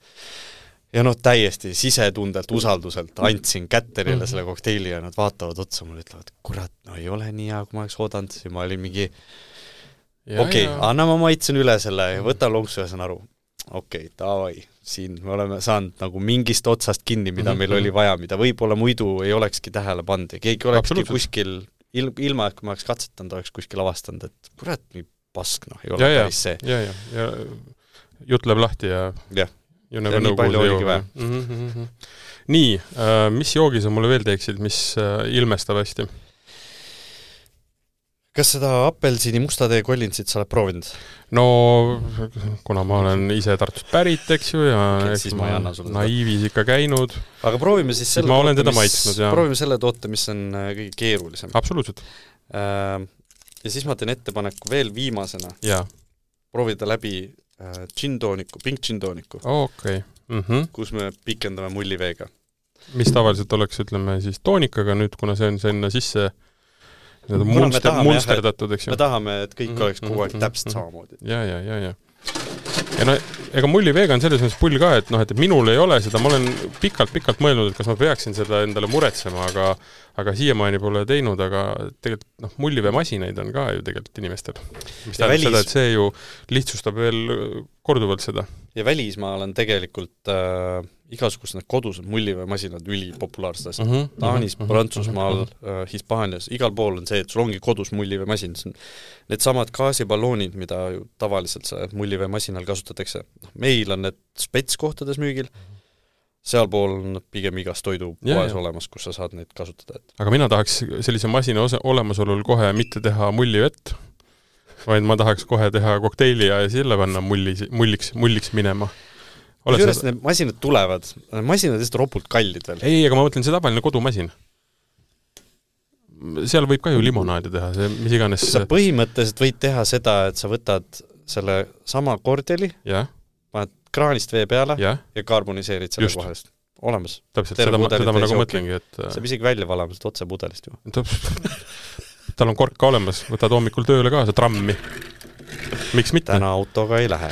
Ja täiesti sisetundelt, usalduselt andsin kätterile selle kokteili ja nad vaatavad otsa, mulle ütlevad, kurat, ei ole nii hea, kui ma oleks oodanud. Ja ma olin mingi, anna ma maitsen üle selle ja võta lonksu ja saan aru. Davai, siin me oleme saanud nagu mingist otsast kinni, mida meil oli vaja, mida võib-olla muidu ei olekski tähele pandi. Keegi olekski kuskil, ilma, et kui ma oleks katsetanud, oleks kuskil avastanud, et kurat, nii pask, ei ole päris see.
Ja jutt läheb lahti ja
nii palju oligi vaja.
Nii, mis joogi sa mulle veel teeksid, mis ilmestab hästi?
Kas seda apelsini mustade kollinsit sa oled proovinud?
No, kuna ma olen ise Tartust pärit, eks ju, ja
siis ma ei anna sulle
naiivis ikka käinud.
Aga proovime siis selle
ma olen teda maitsnud, ja.
Proovime selle toote, mis on kõige keerulisem.
Absoluutselt.
Ja siis ma teen ettepaneku veel viimasena. Proovida läbi pink džintooniku. Kus me pikendame mulliveega.
Mis tavaliselt oleks, ütleme, siis toonikaga nüüd, kuna see on sinna sisse munsterdatud, eks ju.
Me tahame, et kõik oleks kogu aeg täpselt samamoodi.
Ja ega mulliveega on selles mõttes pull ka, et minul ei ole seda, ma olen pikalt mõelnud, et kas ma peaksin seda endale muretsema, aga siiamaani pole teinud, aga tegelikult mulliveemasinaid on ka ju tegelikult inimestel. Mis tähendab seda, et see ju lihtsustab veel korduvalt seda.
Ja välismaal on tegelikult igasugused need kodused mulliveemasinad ülipopulaarsed asjad. Taanis, Prantsusmaal, Hispaanias, igal pool on see, et sul ongi kodus mulliveemasin. Need samad gaasiballoonid, mida ju tavaliselt mulliveemasinal kasutatakse. Meil on need spetskohtades müügil, sealpool on pigem igas toidupoes olemas, kus sa saad neid kasutada.
Aga mina tahaks sellise masina olemasolul kohe mitte teha mullivett, vaid ma tahaks kohe teha kokteili ja selle panna mulliks minema.
Kusjuures need masinad tulevad, masinad lihtsalt ropult kallid veel.
Ei, aga ma mõtlen see tavaline kodumasin. Seal võib ka ju limonaadi teha, see mis iganes.
Sa põhimõtteliselt võid teha seda, et sa võtad selle sama kordeli, paned kraanist vee peale ja karboniseerid selle kohest. Olemas.
Täpselt, seda ma nagu mõtlengi, et
sa isegi välja valamas otse pudelist ju.
Tal on kork ka olemas, võtad hommikul tööle kaasa trammi. Miks mitte?
Täna autoga ei lähe.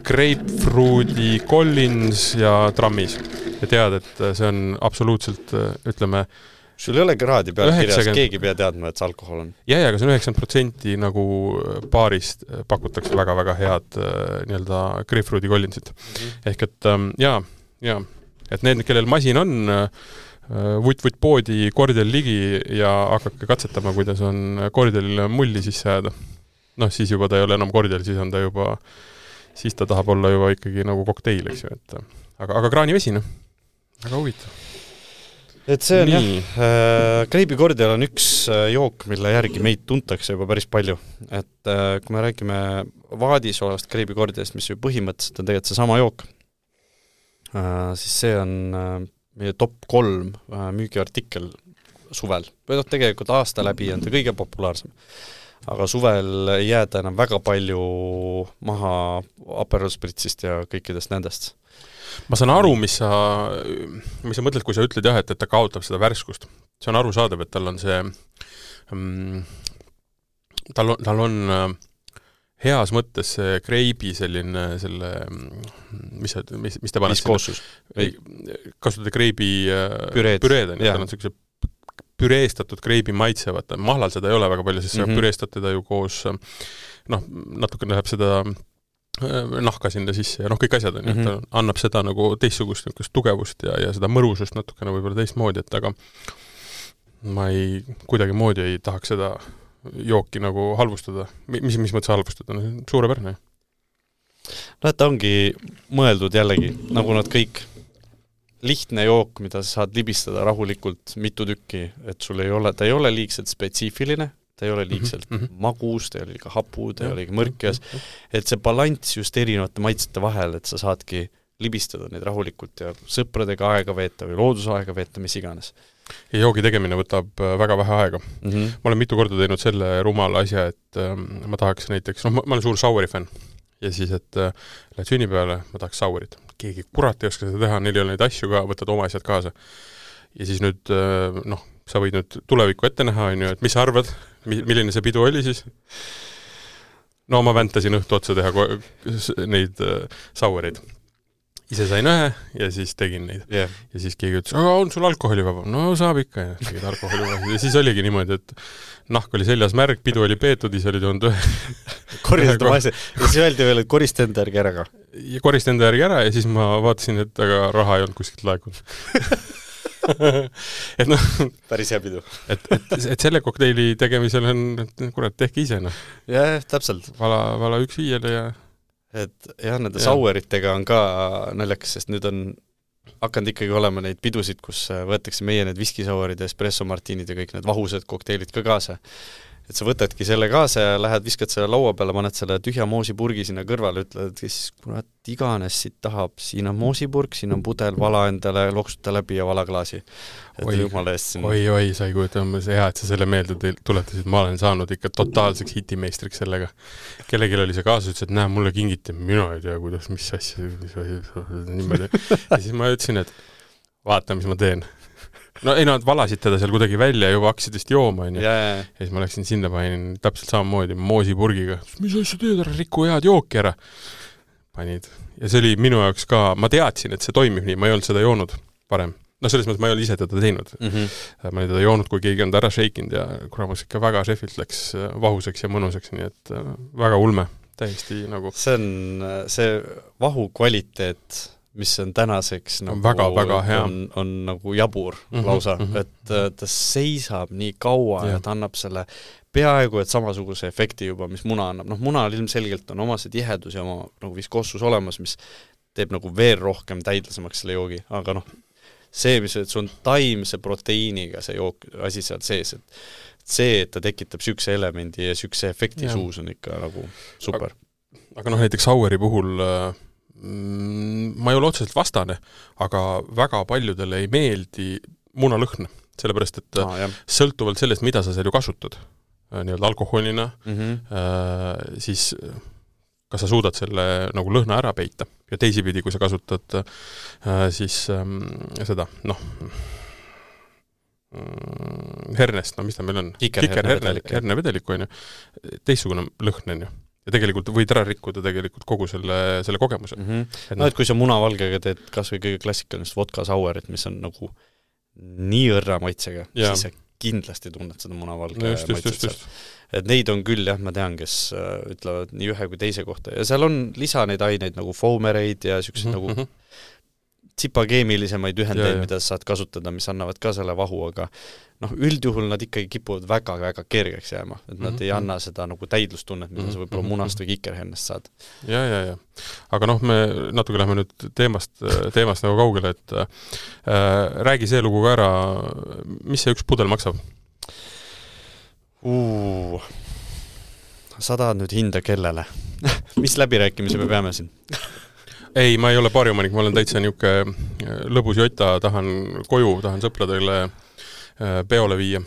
Grapefruiti Collins ja trammis. Ja tead, et see on absoluutselt, ütleme...
Sul ei ole kraadi peal kirjas, keegi pea teadma, et see alkohol on.
Ja, aga see on 90% nagu baarist pakutakse väga-väga head nii-öelda Grapefruiti Collinsit. Ehk et et need, kellel masin on, vutt poodi kordel ligi ja hakake katsetama, kuidas on kordelile mulli sisse jääda. Siis juba ta ei ole enam kordel, siis ta tahab olla juba ikkagi nagu kokteil, eks ju, et aga kraanivesina, väga huvitav.
Et see on kreibikordel on üks jook, mille järgi meid tuntakse juba päris palju. Et kui me räägime vaadis olevast kreibikordest, mis ju põhimõtteliselt on tegelikult see sama jook, siis see on meie top 3 müügiartikkel suvel. Või tegelikult aasta läbi on ta kõige populaarsem. Aga suvel ei jääda enam väga palju maha Aperol Spritzist ja kõikidest nendest.
Ma saan aru, mis sa mõtled, kui sa ütled et ta kaotab seda värskust. See on arusaadav, et tal on see tal on heas mõttes see kreibi selline mis te paned
viskoossus.
Kasutada kreibi püreed tal on selline püreestatud kreibi maitsevad. Mahlal seda ei ole väga palju, sest sa püreestad teda ju koos natuke läheb seda nahka sinna sisse ja kõik asjad on, ta annab seda nagu teistsugust tugevust ja seda mõrusust natukene võib-olla teistmoodi, et aga ma kuidagi moodi ei tahaks seda jooki nagu halvustada. Mis mõttes halvustada? Suurepärane.
Et ta ongi mõeldud jällegi, nagu nad kõik lihtne jook, mida sa saad libistada rahulikult mitu tükki, et ta ei ole liigselt spetsiifiline, ta ei ole liigselt magus, ta ei ole liiga hapu, ta ei ole liiga mõrkjas, et see balants just erinevate maitsete vahel, et sa saadki libistada neid rahulikult ja sõpradega aega veeta või loodusaega veeta, mis iganes.
Ja joogi tegemine võtab väga vähe aega. Ma olen mitu korda teinud selle rumala asja, et ma tahaks näiteks, ma olen suur Saueri fänn ja siis, et lähed sünnipäevale, ma tahaks Sauerit. Keegi kurat ei oska seda teha, neil ei ole neid asju ka, võtad oma asjad kaasa. Ja siis nüüd, sa võid nüüd tulevikku ette näha, et mis sa arvad, milline see pidu oli siis? No ma väntasin õhtu otsa teha neid Sauereid. Ise sain ühe ja siis tegin neid. Yeah. Ja siis keegi ütles, aga on sul alkoholivaba? No saab ikka ja tegid alkoholivaba. Ja siis oligi niimoodi, et nahk oli seljas märg, pidu oli peetud, ise oli toonud ühe.
Koristad oma asja. Ja siis öeldi veel, et korista enda järgi ära ka.
Ja korista enda järgi ära ja siis ma vaatasin, et aga raha ei olnud kuskilt laekunud. Et noh,
päris hea pidu.
Et selle kokteili tegemisel on, kurat, tehke ise, noh.
Jah, täpselt.
Vala 1-5 ja
et jah, nende Saueritega on ka naljakas, sest nüüd on hakanud ikkagi olema neid pidusid, kus võetakse meie need viskisauerid ja espresso martinid ja kõik need vahused kokteilid ka kaasa. Et sa võtadki selle kaasa ja lähed, viskad selle laua peale, paned selle tühja moosipurgi sinna kõrvale, ütled, et siis kurat iganes siit tahab, siin on moosipurg, siin on pudel, vala endale, loksuta läbi ja vala klaasi.
Oi, sa ei kujuta, hea, et sa selle meelde tuletasid, ma olen saanud ikka totaalseks hitimeistriks sellega. Kellelgi oli see kaasa, ütles, et näe, mulle kingiti, mina ei tea, kuidas, mis asja, niimoodi. Ja siis ma ütlesin, et vaata, mis ma teen. No ei, nad valasid teda seal kuidagi välja ja juba hakkasid vist jooma, ja siis ma läksin sinna, panin täpselt samamoodi moosipurgiga. Mis asja teed, ära rikku head jooki ära. Panid. Ja see oli minu jaoks ka, ma teadsin, et see toimib nii, ma ei olnud seda joonud varem. No selles mõttes ma ei olnud ise teda teinud. Ma olin teda joonud, kui keegi on ta ära šeikinud ja kuramus ikka väga šefilt läks vahuseks ja mõnuseks, nii et väga ulme, täiesti nagu.
See on see vahu kvaliteet, mis on tänaseks nagu
väga hea.
On nagu jabur lausa, et ta seisab nii kaua ja ta annab selle peaaegu et samasuguse efekti juba, mis muna annab. Noh, munal ilmselgelt on oma see tihedus ja oma nagu viskossus olemas, mis teeb nagu veel rohkem täidlasemaks selle joogi, aga noh, see, mis et sul on taimse proteiiniga see jook, asi seal sees, et see, et ta tekitab sükse elemendi ja sükse efekti suus on ikka nagu super.
Aga noh, näiteks Saueri puhul ma ei ole otseselt vastane, aga väga paljudele ei meeldi munalõhn, sellepärast, et sõltuvalt sellest, mida sa seal ju kasutad, nii-öelda alkoholina, siis kas sa suudad selle nagu lõhna ära peita ja teisipidi, kui sa kasutad siis seda, noh, hernest, no mis ta meil on? Kikerhernevedeliku, on ju. Teissugune lõhn, on ju. Ja tegelikult võid ära rikkuda tegelikult kogu selle kogemuse.
No, et kui sa munavalgega teed kas või kõige klassikalist vodka sauerit, mis on nagu nii õrra maitsega, siis sa kindlasti tunned seda munavalge maitset seal. Et neid on küll, jah, ma tean, kes ütlevad nii ühe kui teise kohta. Ja seal on lisa neid aineid nagu foomereid ja sellised nagu tsipakeemilisemaid ühendeid, mida sa saad kasutada, mis annavad ka selle vahu, aga noh, üldjuhul nad ikkagi kipuvad väga kergeks jääma, et nad ei anna seda nagu täidlustunnet, mida sa võib-olla munast või kikerhennest saad.
Ja. Aga noh, me natuke lähme nüüd teemast nagu kaugele, et räägi see lugu ka ära, mis see üks pudel maksab?
Sa tahad nüüd hinda kellele? Mis läbirääkimise me peame siin?
Ei, ma ei ole baariomanik, ma olen täitsa niuke lõbus jota, tahan koju, tahan sõpradele peole viia.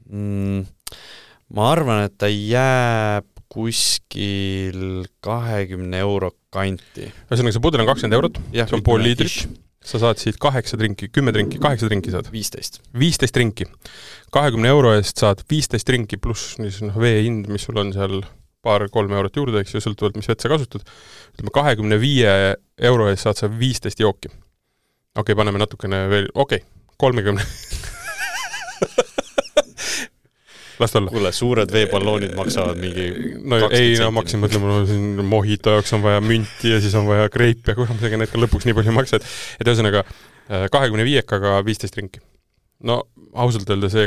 Ma arvan, et ta jääb kuskil 20 euro kanti.
Ühesõnaga, see pudel on 20 eurot, see on pool liitrit. Sa saad siit 8 drinki, 10 drinki, 8 drinki saad? 15 drinki. 20 euro eest saad 15 drinki pluss vee hind, mis sul on seal 2-3 eurot juurde, eks ju, sõltuvalt, mis vett sa kasutad. Ütleme, 25 euro eest saad sa 15 jooki. Okei, paneme natukene veel, 30. Las olla.
Kuule, suured veepalloonid maksavad mingi
20 ma hakkasin mõtlema, siin mojito jaoks on vaja münti ja siis on vaja kreipi ja kuramsega need ka lõpuks nii palju maksa, et ühesõnaga 25-aga 15 rinki. No, ausalt öelda see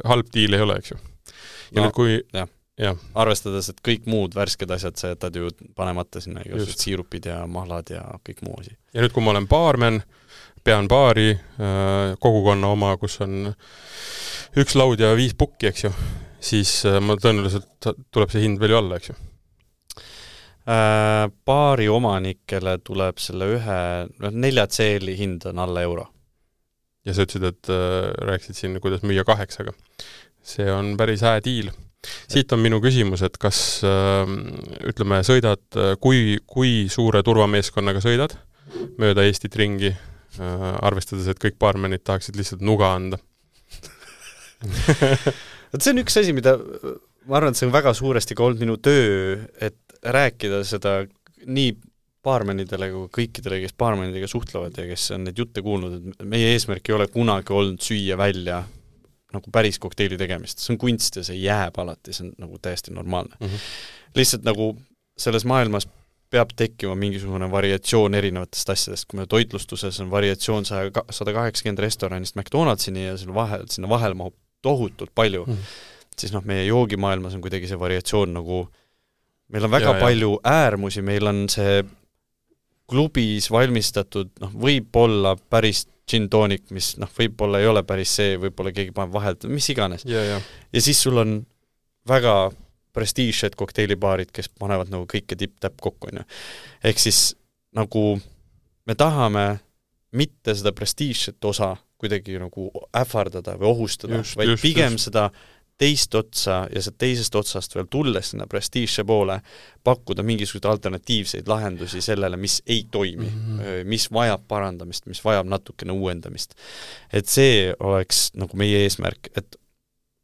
halb diil ei ole, eks ju. Ja nüüd kui...
Ja. Arvestades, et kõik muud värsked asjad sa jätad ju panemata sinna igasugused siirupid ja mahlad ja kõik muu asi.
Ja nüüd, kui ma olen baarmen, pean baari, kogukonna oma, kus on 1 laud ja 5 pukki, eks ju, siis ma tõenäoliselt tuleb see hind veel ju alla, eks ju?
Baari omanikele tuleb selle 4 CL-i hind on alla euro.
Ja sa ütlesid, et rääkisid siin, kuidas müüa 8-ga. See on päris hää diil. Siit on minu küsimus, et kas ütleme, sõidad, kui suure turvameeskonnaga sõidad mööda Eestit ringi, arvestades, et kõik baarmenid tahaksid lihtsalt nuga anda?
See on üks asi, mida ma arvan, et see on väga suuresti ka olnud minu töö, et rääkida seda nii baarmenidele kui kõikidele, kes baarmenidega suhtlevad ja kes on neid jutte kuulnud, et meie eesmärk ei ole kunagi olnud süüa välja nagu päris kokteili tegemist. See on kunst ja see jääb alati, see on nagu täiesti normaalne. Lihtsalt nagu selles maailmas peab tekkima mingisugune variatsioon erinevatest asjadest, kui me toitlustuses on variatsioon 180 restoranist McDonaldsini ja sinna vahel mahub tohutult palju, siis meie joogimaailmas on kuidagi see variatsioon nagu meil on väga palju äärmusi, meil on see klubis valmistatud, võib-olla päris gin tonic, mis võib-olla ei ole päris see, võib-olla keegi paneb vahelt, mis iganes. Ja siis sul on väga prestiižsed kokteilibaarid, kes panevad nagu kõike tipp-täpp kokku. Ehk siis nagu me tahame mitte seda prestiižset osa kuidagi nagu ähvardada või ohustada, vaid pigem seda teist otsa ja see teisest otsast veel tulles sinna prestiižse poole pakkuda mingisuguseid alternatiivseid lahendusi sellele, mis ei toimi, mis vajab parandamist, mis vajab natukene uuendamist. Et see oleks nagu meie eesmärk, et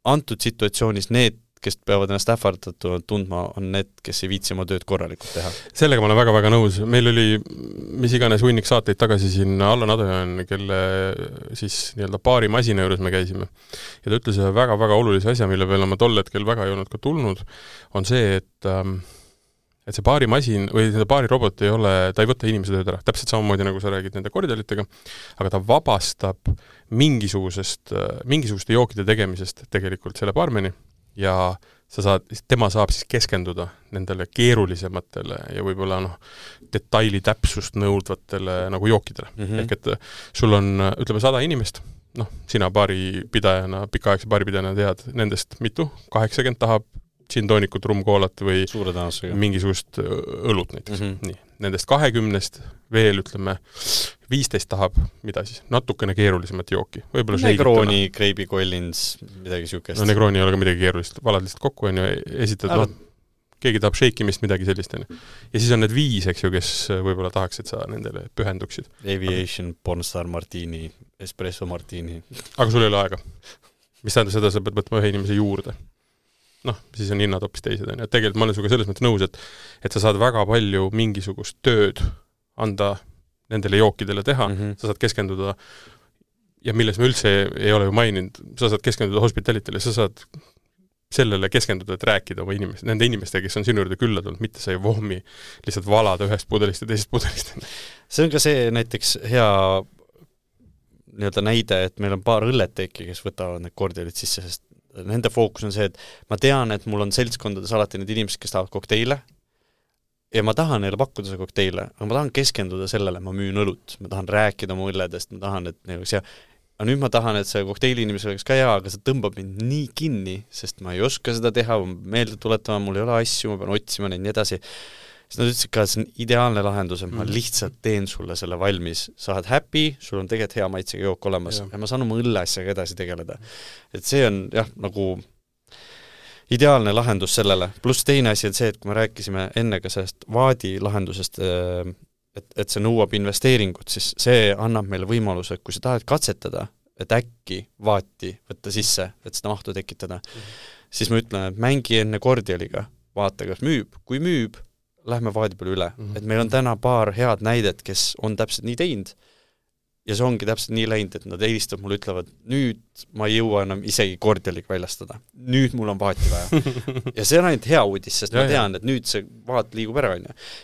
antud situatsioonis need, kes peavad ennast ähvardatuna tundma, on need, kes ei viitsi oma tööd korralikult teha. Sellega
ma olen väga-väga nõus. Meil oli mis iganes hunnik saateid tagasi siin Allan Adojan, kelle siis nii-öelda baari masina juures me käisime. Ja ta ütles väga-väga olulise asja, mille peale ma tol hetkel väga ei olnud ka tulnud, on see, et see baari masin või seda baari robot ei ole, ta ei võta inimese tööd ära. Täpselt samamoodi, nagu sa räägid nende koridalitega, aga ta vabastab mingisuguste jookide tegemisest tegelikult selle baarmeni ja tema saab siis keskenduda nendele keerulisematele ja võib-olla detaili täpsust nõudvatele nagu jookidele. Ehk et sul on, ütleme, 100 inimest, sina baaripidajana, pikaaegse baaripidajana tead nendest mitu, 80 tahab gin tonikut, rumkoolat või mingisugust õlut näiteks. Nii. Nendest 20 veel, ütleme, 15 tahab, mida siis, natukene keerulisemat jooki.
Negroni, Greibi Collins, midagi siukest.
Negroni ei ole ka midagi keerulist, valad lihtsalt kokku on ju, esitad, keegi tahab shakeimist, midagi sellist. Ja siis on need 5, eks ju, kes võib-olla tahaks, et sa nendele pühenduksid.
Aviation, Pornstar Martini, Espresso Martini.
Aga sul ei ole aega. Mis tähendab seda, sa pead võtma ühe inimese juurde. Siis on hinnad hoopis teised. Tegelikult ma olen suga selles mõttes nõus, et sa saad väga palju mingisugust tööd anda nendele jookidele teha, sa saad keskenduda, ja milles me üldse ei ole ju maininud, sa saad keskenduda hospitalitele, sa saad sellele keskenduda, et rääkida oma nende inimestega, kes on sinu juurde külla tulnud, mitte sa ei vohmi lihtsalt valada ühest pudelist ja teisest pudelist.
See on ka see näiteks hea näide, et meil on paar õlleteki, kes võtavad need kordialid sisse, sest nende fookus on see, et ma tean, et mul on seltskondades alati need inimesed, kes tahavad kokteile ja ma tahan neile pakkuda see kokteile, aga ma tahan keskenduda sellele, ma müün õlut, ma tahan rääkida oma õlledest, ma tahan, et aga nüüd ma tahan, et see kokteili inimesel oleks ka hea, aga see tõmbab mind nii kinni, sest ma ei oska seda teha, meelde tuletama, mul ei ole asju, ma pean otsima neid nii edasi. Siis nad ütlesid ka, et see on ideaalne lahendus, et ma lihtsalt teen sulle selle valmis. Sa oled happy, sul on tegelikult hea maitsega jook olemas ja ma saan oma õlleasjaga edasi tegeleda. Et see on nagu ideaalne lahendus sellele. Pluss teine asi on see, et kui me rääkisime enne ka sellest vaadi lahendusest, et see nõuab investeeringut, siis see annab meile võimaluse, et kui sa tahad katsetada, et äkki vaati võtta sisse, et seda mahtu tekitada, siis ma ütlen, et mängi enne kordialiga, vaata, kas müüb. Kui müüb, lähme vaadi peale üle. Et meil on täna paar head näidet, kes on täpselt nii teinud ja see ongi täpselt nii läinud, et nad helistavad mulle, ütlevad, nüüd ma ei jõua enam isegi kordialik väljastada. Nüüd mul on vaati vaja. Ja see on ainult hea uudis, sest ma tean, et nüüd see vaat liigub ära.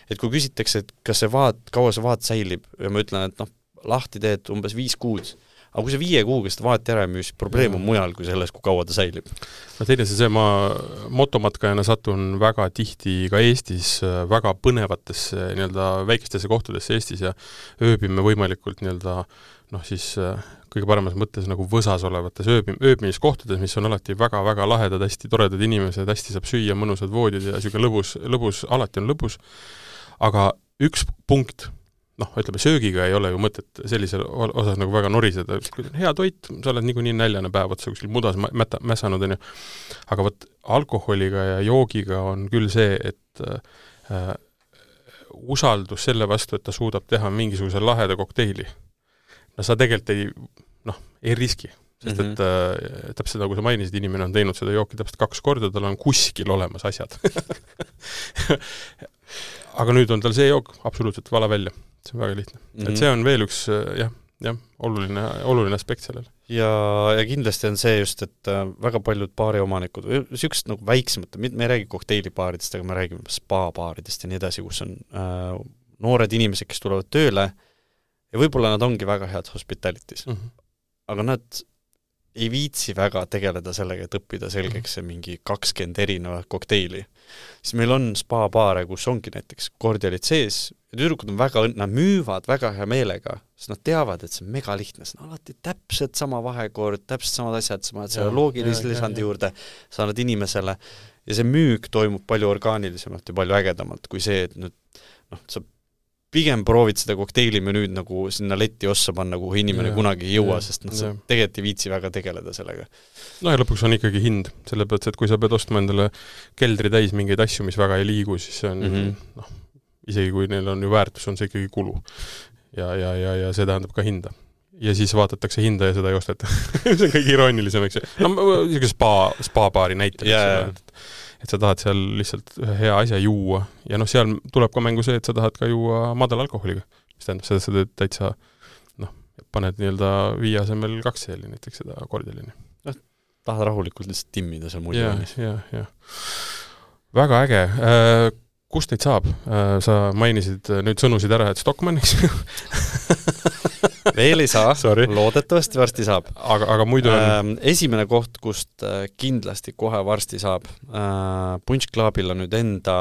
Et kui küsitakse, et kas see kaua see vaat säilib ja ma ütlen, et lahti teed umbes 5 kuud, aga kui see 5 kuuga seda vahet ära ei müü, siis probleem on mujal kui selles, kui kaua ta säilib.
No teine ma motomatkajana satun väga tihti ka Eestis väga põnevatesse väikestesse kohtadesse Eestis ja ööbime võimalikult siis kõige paremas mõttes nagu võsas olevates ööbimiskohtades, mis on alati väga-väga lahedad, hästi toredad inimesed, hästi saab süüa, mõnusad voodid ja niisugune lõbus, alati on lõbus. Aga üks punkt, ütleme, söögiga ei ole ju mõtet sellisel osas nagu väga noriseda. Kui on hea toit, sa oled niikuinii näljane päev otsa kuskil mudas mässanud, on ju. Aga võt alkoholiga ja joogiga on küll see, et usaldus selle vastu, et ta suudab teha mingisuguse laheda kokteili. No sa tegelikult ei riski, sest et täpselt nagu sa mainisid, inimene on teinud seda jooki täpselt 2 korda, tal on kuskil olemas asjad. Aga nüüd on tal see jook absoluutselt vala välja. See on väga lihtne. Et see on veel üks oluline aspekt sellel.
Ja kindlasti on see just, et väga paljud baariomanikud, niisugust nagu väiksemad, me ei räägi kokteilibaaridest, aga me räägime spa-baaridest ja nii edasi, kus on noored inimesed, kes tulevad tööle ja võib-olla nad ongi väga head hospitalities. Aga nad ei viitsi väga tegeleda sellega, et õppida selgeks see mingi 20 erinevat kokteili. Siis meil on spa-baare, kus ongi näiteks kordialid sees ja tüdrukud on nad müüvad väga hea meelega, sest nad teavad, et see on mega lihtne, see on alati täpselt sama vahekord, täpselt samad asjad, selle loogilise lisandi juurde sa annad inimesele ja see müük toimub palju orgaanilisemalt ja palju ägedamalt kui see, et nüüd sa pigem proovid seda kokteilimenüüd nagu sinna letti ossa panna, kuhu inimene kunagi ei jõua, sest sa tegelikult ei viitsi väga tegeleda sellega.
Ja lõpuks on ikkagi hind, selle pealt, et kui sa pead ostma endale keldri täis mingeid asju, mis väga ei liigu, siis see on, isegi kui neil on ju väärtus, on see ikkagi kulu. Ja see tähendab ka hinda. Ja siis vaatatakse hinda ja seda ei osteta. See on kõige iroonilisem, eks. Spa-baari näitel, et sa tahad seal lihtsalt hea asja juua ja seal tuleb ka mängu see, et sa tahad ka juua madal alkoholiga, mis tähendab seda, et sa täitsa paned 5 asemel 2 seeli näiteks seda kordialini.
Tahad rahulikult lihtsalt timmida seal muidu.
Ja. Väga äge. Kust neid saab? Sa mainisid nüüd sõnusid ära, et Stockmanniks.
Veel ei saa, loodetavasti varsti saab.
Aga muidu on...
Esimene koht, kust kindlasti kohe varsti saab. Punch Clubil on nüüd enda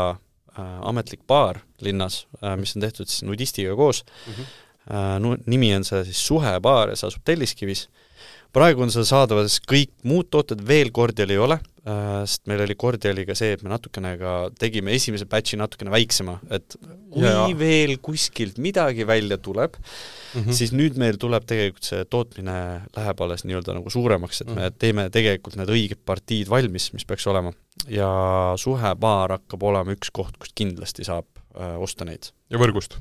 ametlik baar linnas, mis on tehtud siis nudistiga koos. Nimi on see siis Suhebaar ja see asub Telliskivis. Praegu on seal saadavas kõik muud tooted, veel kordial ei ole, sest meil oli kordialiga see, et me natukene tegime esimese batchi natukene väiksema, et kui veel kuskilt midagi välja tuleb, siis nüüd meil tuleb tegelikult see tootmine läheb alles nagu suuremaks, et me teeme tegelikult need õiged partiid valmis, mis peaks olema. Ja Suhebaar hakkab olema üks koht, kust kindlasti saab osta neid.
Ja võrgust?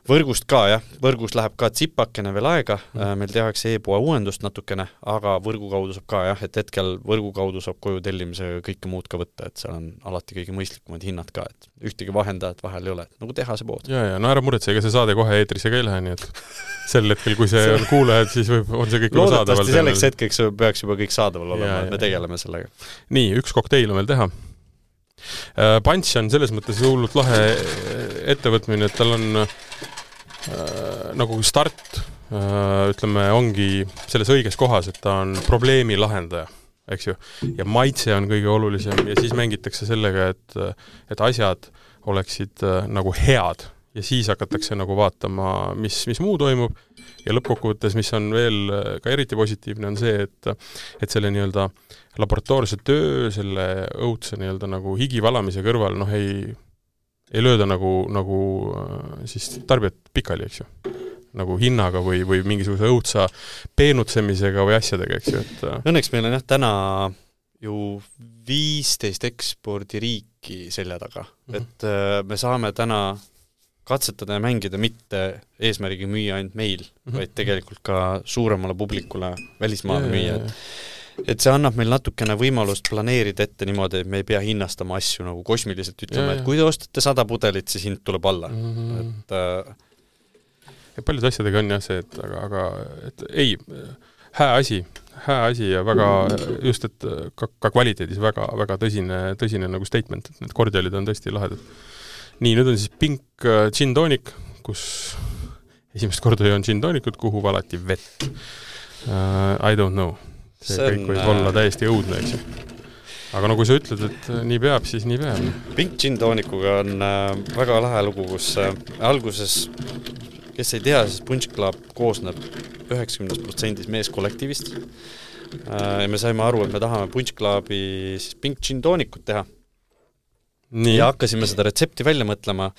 Võrgust ka, jah. Võrgust läheb ka tsipakene veel aega, meil tehakse e-poe uuendust natukene, aga võrgu kaudu saab ka, jah, et hetkel võrgu kaudu saab koju tellimisega kõike muud ka võtta, et seal on alati kõige mõistlikumad hinnad ka, et ühtegi vahendajat vahel ei ole, nagu tehase pood.
Ja, no ära muretse, ega see saade kohe eetrisse ka ei lähe, nii et sel hetkel, kui see on kuulajad, siis on see kõik saadaval.
Loodetavasti selleks hetkeks peaks juba kõik saadaval olema, et me tegeleme sellega.
Nii, üks kokteil on veel teha. Punch on selles mõttes hullult lahe ettevõtmine, et tal on nagu start, ütleme, ongi selles õiges kohas, et ta on probleemi lahendaja, eks ju, ja maitse on kõige olulisem ja siis mängitakse sellega, et asjad oleksid nagu head ja siis hakatakse nagu vaatama, mis muu toimub ja lõppkokkuvõttes, mis on veel ka eriti positiivne, on see, et selle nii-öelda laboratoorse töö, selle õudse nii-öelda nagu higivalamise kõrval, ei lööda nagu siis tarbijat pikali, eks ju. Nagu hinnaga või mingisuguse õudsa peenutsemisega või asjadega, eks ju.
Õnneks meil on täna ju 15 ekspordiriiki selja taga. Et me saame täna katsetada ja mängida mitte eesmärgi müüa ainult meil, vaid tegelikult ka suuremale publikule välismaale müüa. Et see annab meil natukene võimalust planeerida ette niimoodi, et me ei pea hinnastama asju nagu kosmiliselt ütlema, et kui te ostate 100 pudelit, siis hind tuleb alla.
Ja paljud asjadega on jah see, et ei, hää asi ja väga just, et ka kvaliteedis väga tõsine nagu statement, et need kordialid on tõesti lahedad. Nii, nüüd on siis Pink gin tonic, kus esimest korda on gin tonicud, kuhu valati vett. I don't know. See kõik võib olla täiesti õudne, eks ju. Aga no kui sa ütled, et nii peab, siis nii peab.
Pink Gin Tonic'uga on väga lahe lugu, kus alguses, kes ei tea, siis Punch Club koosneb 90% meeskollektiivist. Ja me saime aru, et me tahame Punch Clubi siis Pink Gin Tonicut teha. Nii. Ja hakkasime seda retsepti välja mõtlema.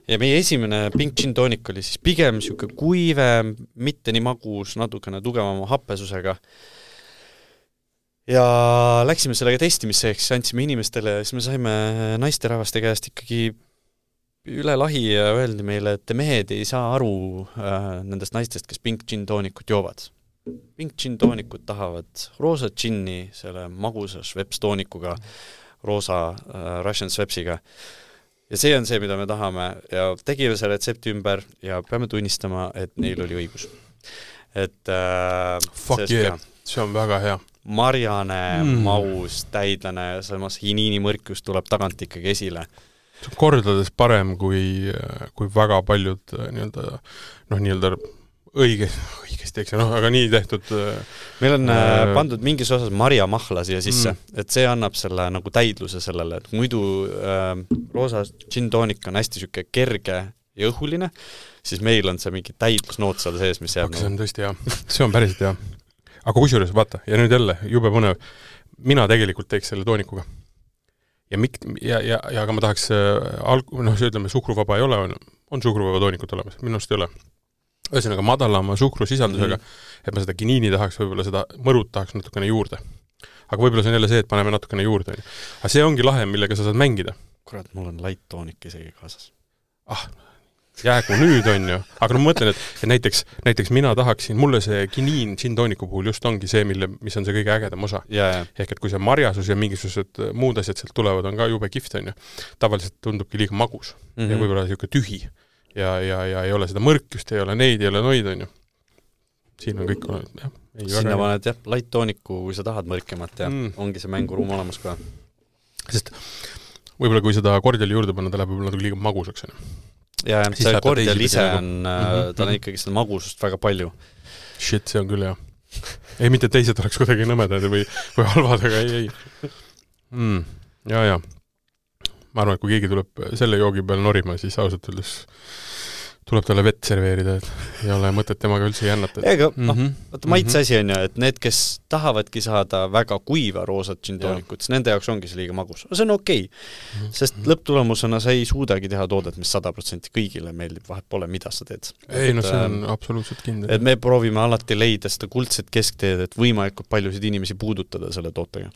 Ja meie esimene Pink Gin Tonic oli siis pigem siuke kuive, mitte nii magus, natukene tugevama happesusega. Ja läksime sellega testimiseks, andsime inimestele, siis me saime naisterahvaste käest ikkagi üle lahi ja öeldi meile, et mehed ei saa aru nendest naistest, kes Pink Gin Tonicut joovad. Pink Gin Tonicut tahavad roosa ginni, selle magusa Schweppes toonikuga, roosa Russian Schweppesiga. Ja see on see, mida me tahame ja tegime selle retsepti ümber ja peame tunnistama, et neil oli õigus. Et
fuck yeah, see on väga hea.
Marjane, maus, täidlane, samas hiniini mõrkus tuleb tagant ikkagi esile.
See on kordades parem kui väga paljud nii-öelda õigesti, eks, aga nii tehtud.
Meil on pandud mingis osas marjamahla siia sisse, et see annab selle nagu täidluse sellele, et muidu roosa gin tonic on hästi süke kerge ja õhuline, siis meil on see mingi täidlusnoot seal sees, mis jääb.
See on tõesti hea, see on päriselt hea. Aga kusjuures, vaata, ja nüüd jälle, jube põnev, mina tegelikult teeks selle toonikuga. Ja aga ma tahaks, ütleme, suhkruvaba ei ole, on suhkruvaba toonikut olemas, minust ei ole. Ühesõnaga madalama suhkrusisaldusega, et ma seda giniini tahaks, võib-olla seda mõrut tahaks natukene juurde. Aga võib-olla see on jälle see, et paneme natukene juurde. Aga see ongi lahe, millega sa saad mängida.
Kurat, mul on light toonik isegi kaasas.
Jäägu nüüd on ju. Aga ma mõtlen, et näiteks mina tahaksin, mulle see giniin gin tooniku puhul just ongi see, mis on see kõige ägedam osa. Ehk et kui see marjasus ja mingisugused muud asjad sealt tulevad, on ka jube kihvt on ju. Tavaliselt tundubki liiga magus ja võib-olla siuke tühi. Ja ei ole seda mõrkust, ei ole neid, ei ole noid, on ju. Siin on kõik olnud, jah.
Sinna paned, jah, light tooniku, kui sa tahad mõrkemat ja ongi see mänguruum olemas ka.
Sest võib-olla kui seda kordiali juurde panna, ta läheb võib-olla liiga magusaks, on ju.
Ja see kordial ise on, ta on ikkagi seda magusust väga palju.
Shit, see on küll, jah. Ei, mitte teised oleks kuidagi nõmedad või halvad, aga ei. Ja. Ma arvan, et kui keegi tuleb selle joogi peal norima, siis ausalt öeldes tuleb talle vett serveerida, et ei ole mõtet temaga üldse jännata.
Ega, maitse asi on ju, et need, kes tahavadki saada väga kuiva roosat gin tonikut, siis nende jaoks ongi see liiga magus. See on okei, sest lõpptulemusena sa ei suudagi teha toodet, mis 100% kõigile meeldib, vahet pole, mida sa teed.
Ei, see on absoluutselt kindel.
Et me proovime alati leida seda kuldset keskteed, et võimalikult paljusid inimesi puudutada selle tootega.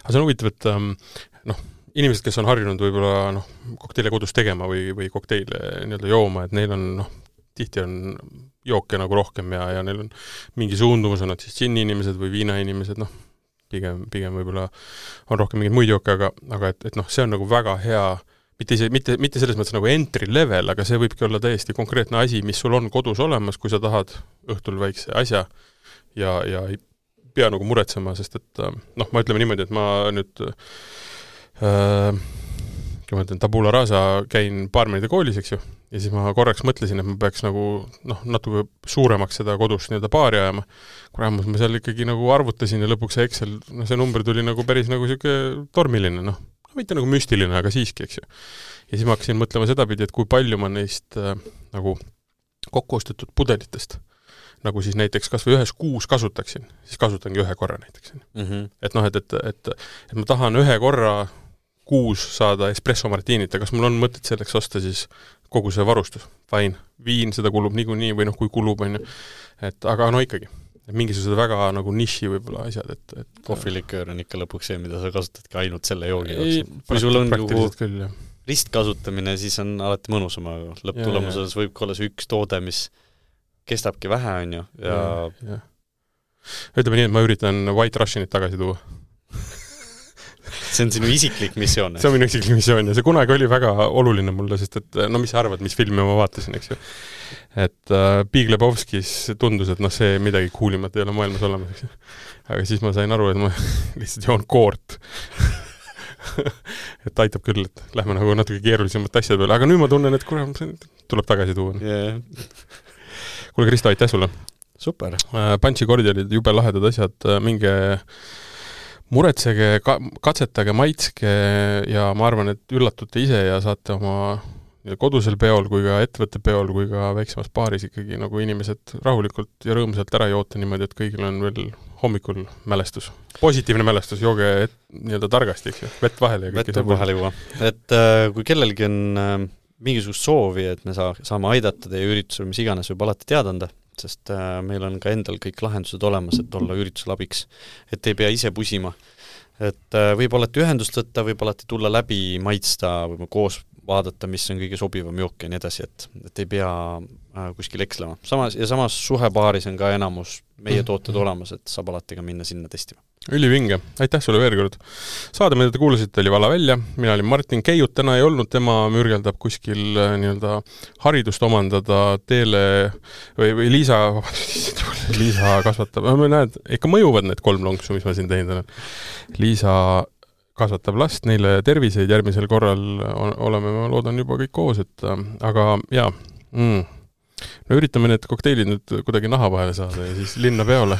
Aga see on huvitav, et inimesed, kes on harjunud võib-olla kokteile kodus tegema või kokteile nii-öelda jooma, et neil on, tihti on jooke nagu rohkem ja neil on mingi suundumus, on nad siis džinni inimesed või viina inimesed, pigem võib-olla on rohkem mingeid muid jooke, aga et see on nagu väga hea, mitte selles mõttes nagu entry level, aga see võibki olla täiesti konkreetne asi, mis sul on kodus olemas, kui sa tahad õhtul väikse asja ja ei pea nagu muretsema, sest et ma ütleme niimoodi, et ma nüüd kui ma ütlen, tabula rasa käin baarmenide koolis, eks ju, ja siis ma korraks mõtlesin, et ma peaks nagu natuke suuremaks seda kodus nii-öelda baari ajama. Kuramus ma seal ikkagi nagu arvutasin ja lõpuks see Excel, see number tuli nagu päris nagu siuke tormiline, mitte nagu müstiline, aga siiski, eks ju. Ja siis ma hakkasin mõtlema sedapidi, et kui palju ma neist nagu kokkuostetud pudelitest nagu siis näiteks kas või ühes kuus kasutaksin, siis kasutangi ühe korra näiteks. Et ma tahan ühe korra kuus saada espresso martinit, ja kas mul on mõtet selleks osta siis kogu see varustus? Fine, viin, seda kulub niikuinii või kui kulub, on ju. Aga ikkagi, mingisugused väga nagu niši võib-olla asjad, et
kohviliköör on ikka lõpuks see, mida sa kasutadki ainult selle joogi jaoks. Kui sul on ristkasutamine, siis on alati mõnusam, aga lõpptulemuses võib olla see üks toode, mis kestabki vähe, on ju. Ja...
Ütleme nii, et ma üritan White Russianit tagasi tuua.
See on sinu isiklik missioon.
See on minu isiklik missioon ja see kunagi oli väga oluline mulle, sest et mis sa arvad, mis filmi ma vaatasin, eks ju. Et Big Lebowskis tundus, et see midagi kuulimat ei ole maailmas olemas, eks ju. Aga siis ma sain aru, et ma lihtsalt joon koort. Et aitab küll, et lähme nagu natuke keerulisemat asjad peale. Aga nüüd ma tunnen, et tuleb tagasi tuua. Kuule, Kristo, aitäh sulle!
super.
Punchi-kordi olid jube lahedad asjad, minge muretsege, katsetage, maitske ja ma arvan, et üllatute ise ja saate oma kodusel peol kui ka ettevõtte peol kui ka väiksemas baaris ikkagi nagu inimesed rahulikult ja rõõmsalt ära joota niimoodi, et kõigil on veel hommikul mälestus. Positiivne mälestus, jooge nii-öelda targasti, eks ju, vett vahele ja
vett vahele juua. Et kui kellelgi on mingisugust soovi, et me saame aidata teie üritusel, mis iganes võib alati teada anda, sest meil on ka endal kõik lahendused olemas, et olla üritusel abiks, et ei pea ise pusima. Et võib alati ühendust võtta, võib alati tulla läbi, maitsta, võib koos vaadata, mis on kõige sobivam jook ja nii edasi, et ei pea kuskil ekslema. Samas suhebaaris on ka enamus meie tooted olemas, et saab alati ka minna sinna testima.
Ülivinge, aitäh sulle veel kord. Saade, mida te kuulasite, oli Vala välja. Mina olin Martin Keiut, täna ei olnud, tema mürgeldab kuskil nii-öelda haridust omandada teele või Liisa kasvatab, näed, ikka mõjuvad need 3 lonksu, mis ma siin teinud olen. Liisa kasvatab last, neile terviseid, järgmisel korral oleme, ma loodan, juba kõik koos, et aga jaa, no üritame need kokteilid nüüd kuidagi naha vahele saada ja siis linna peole.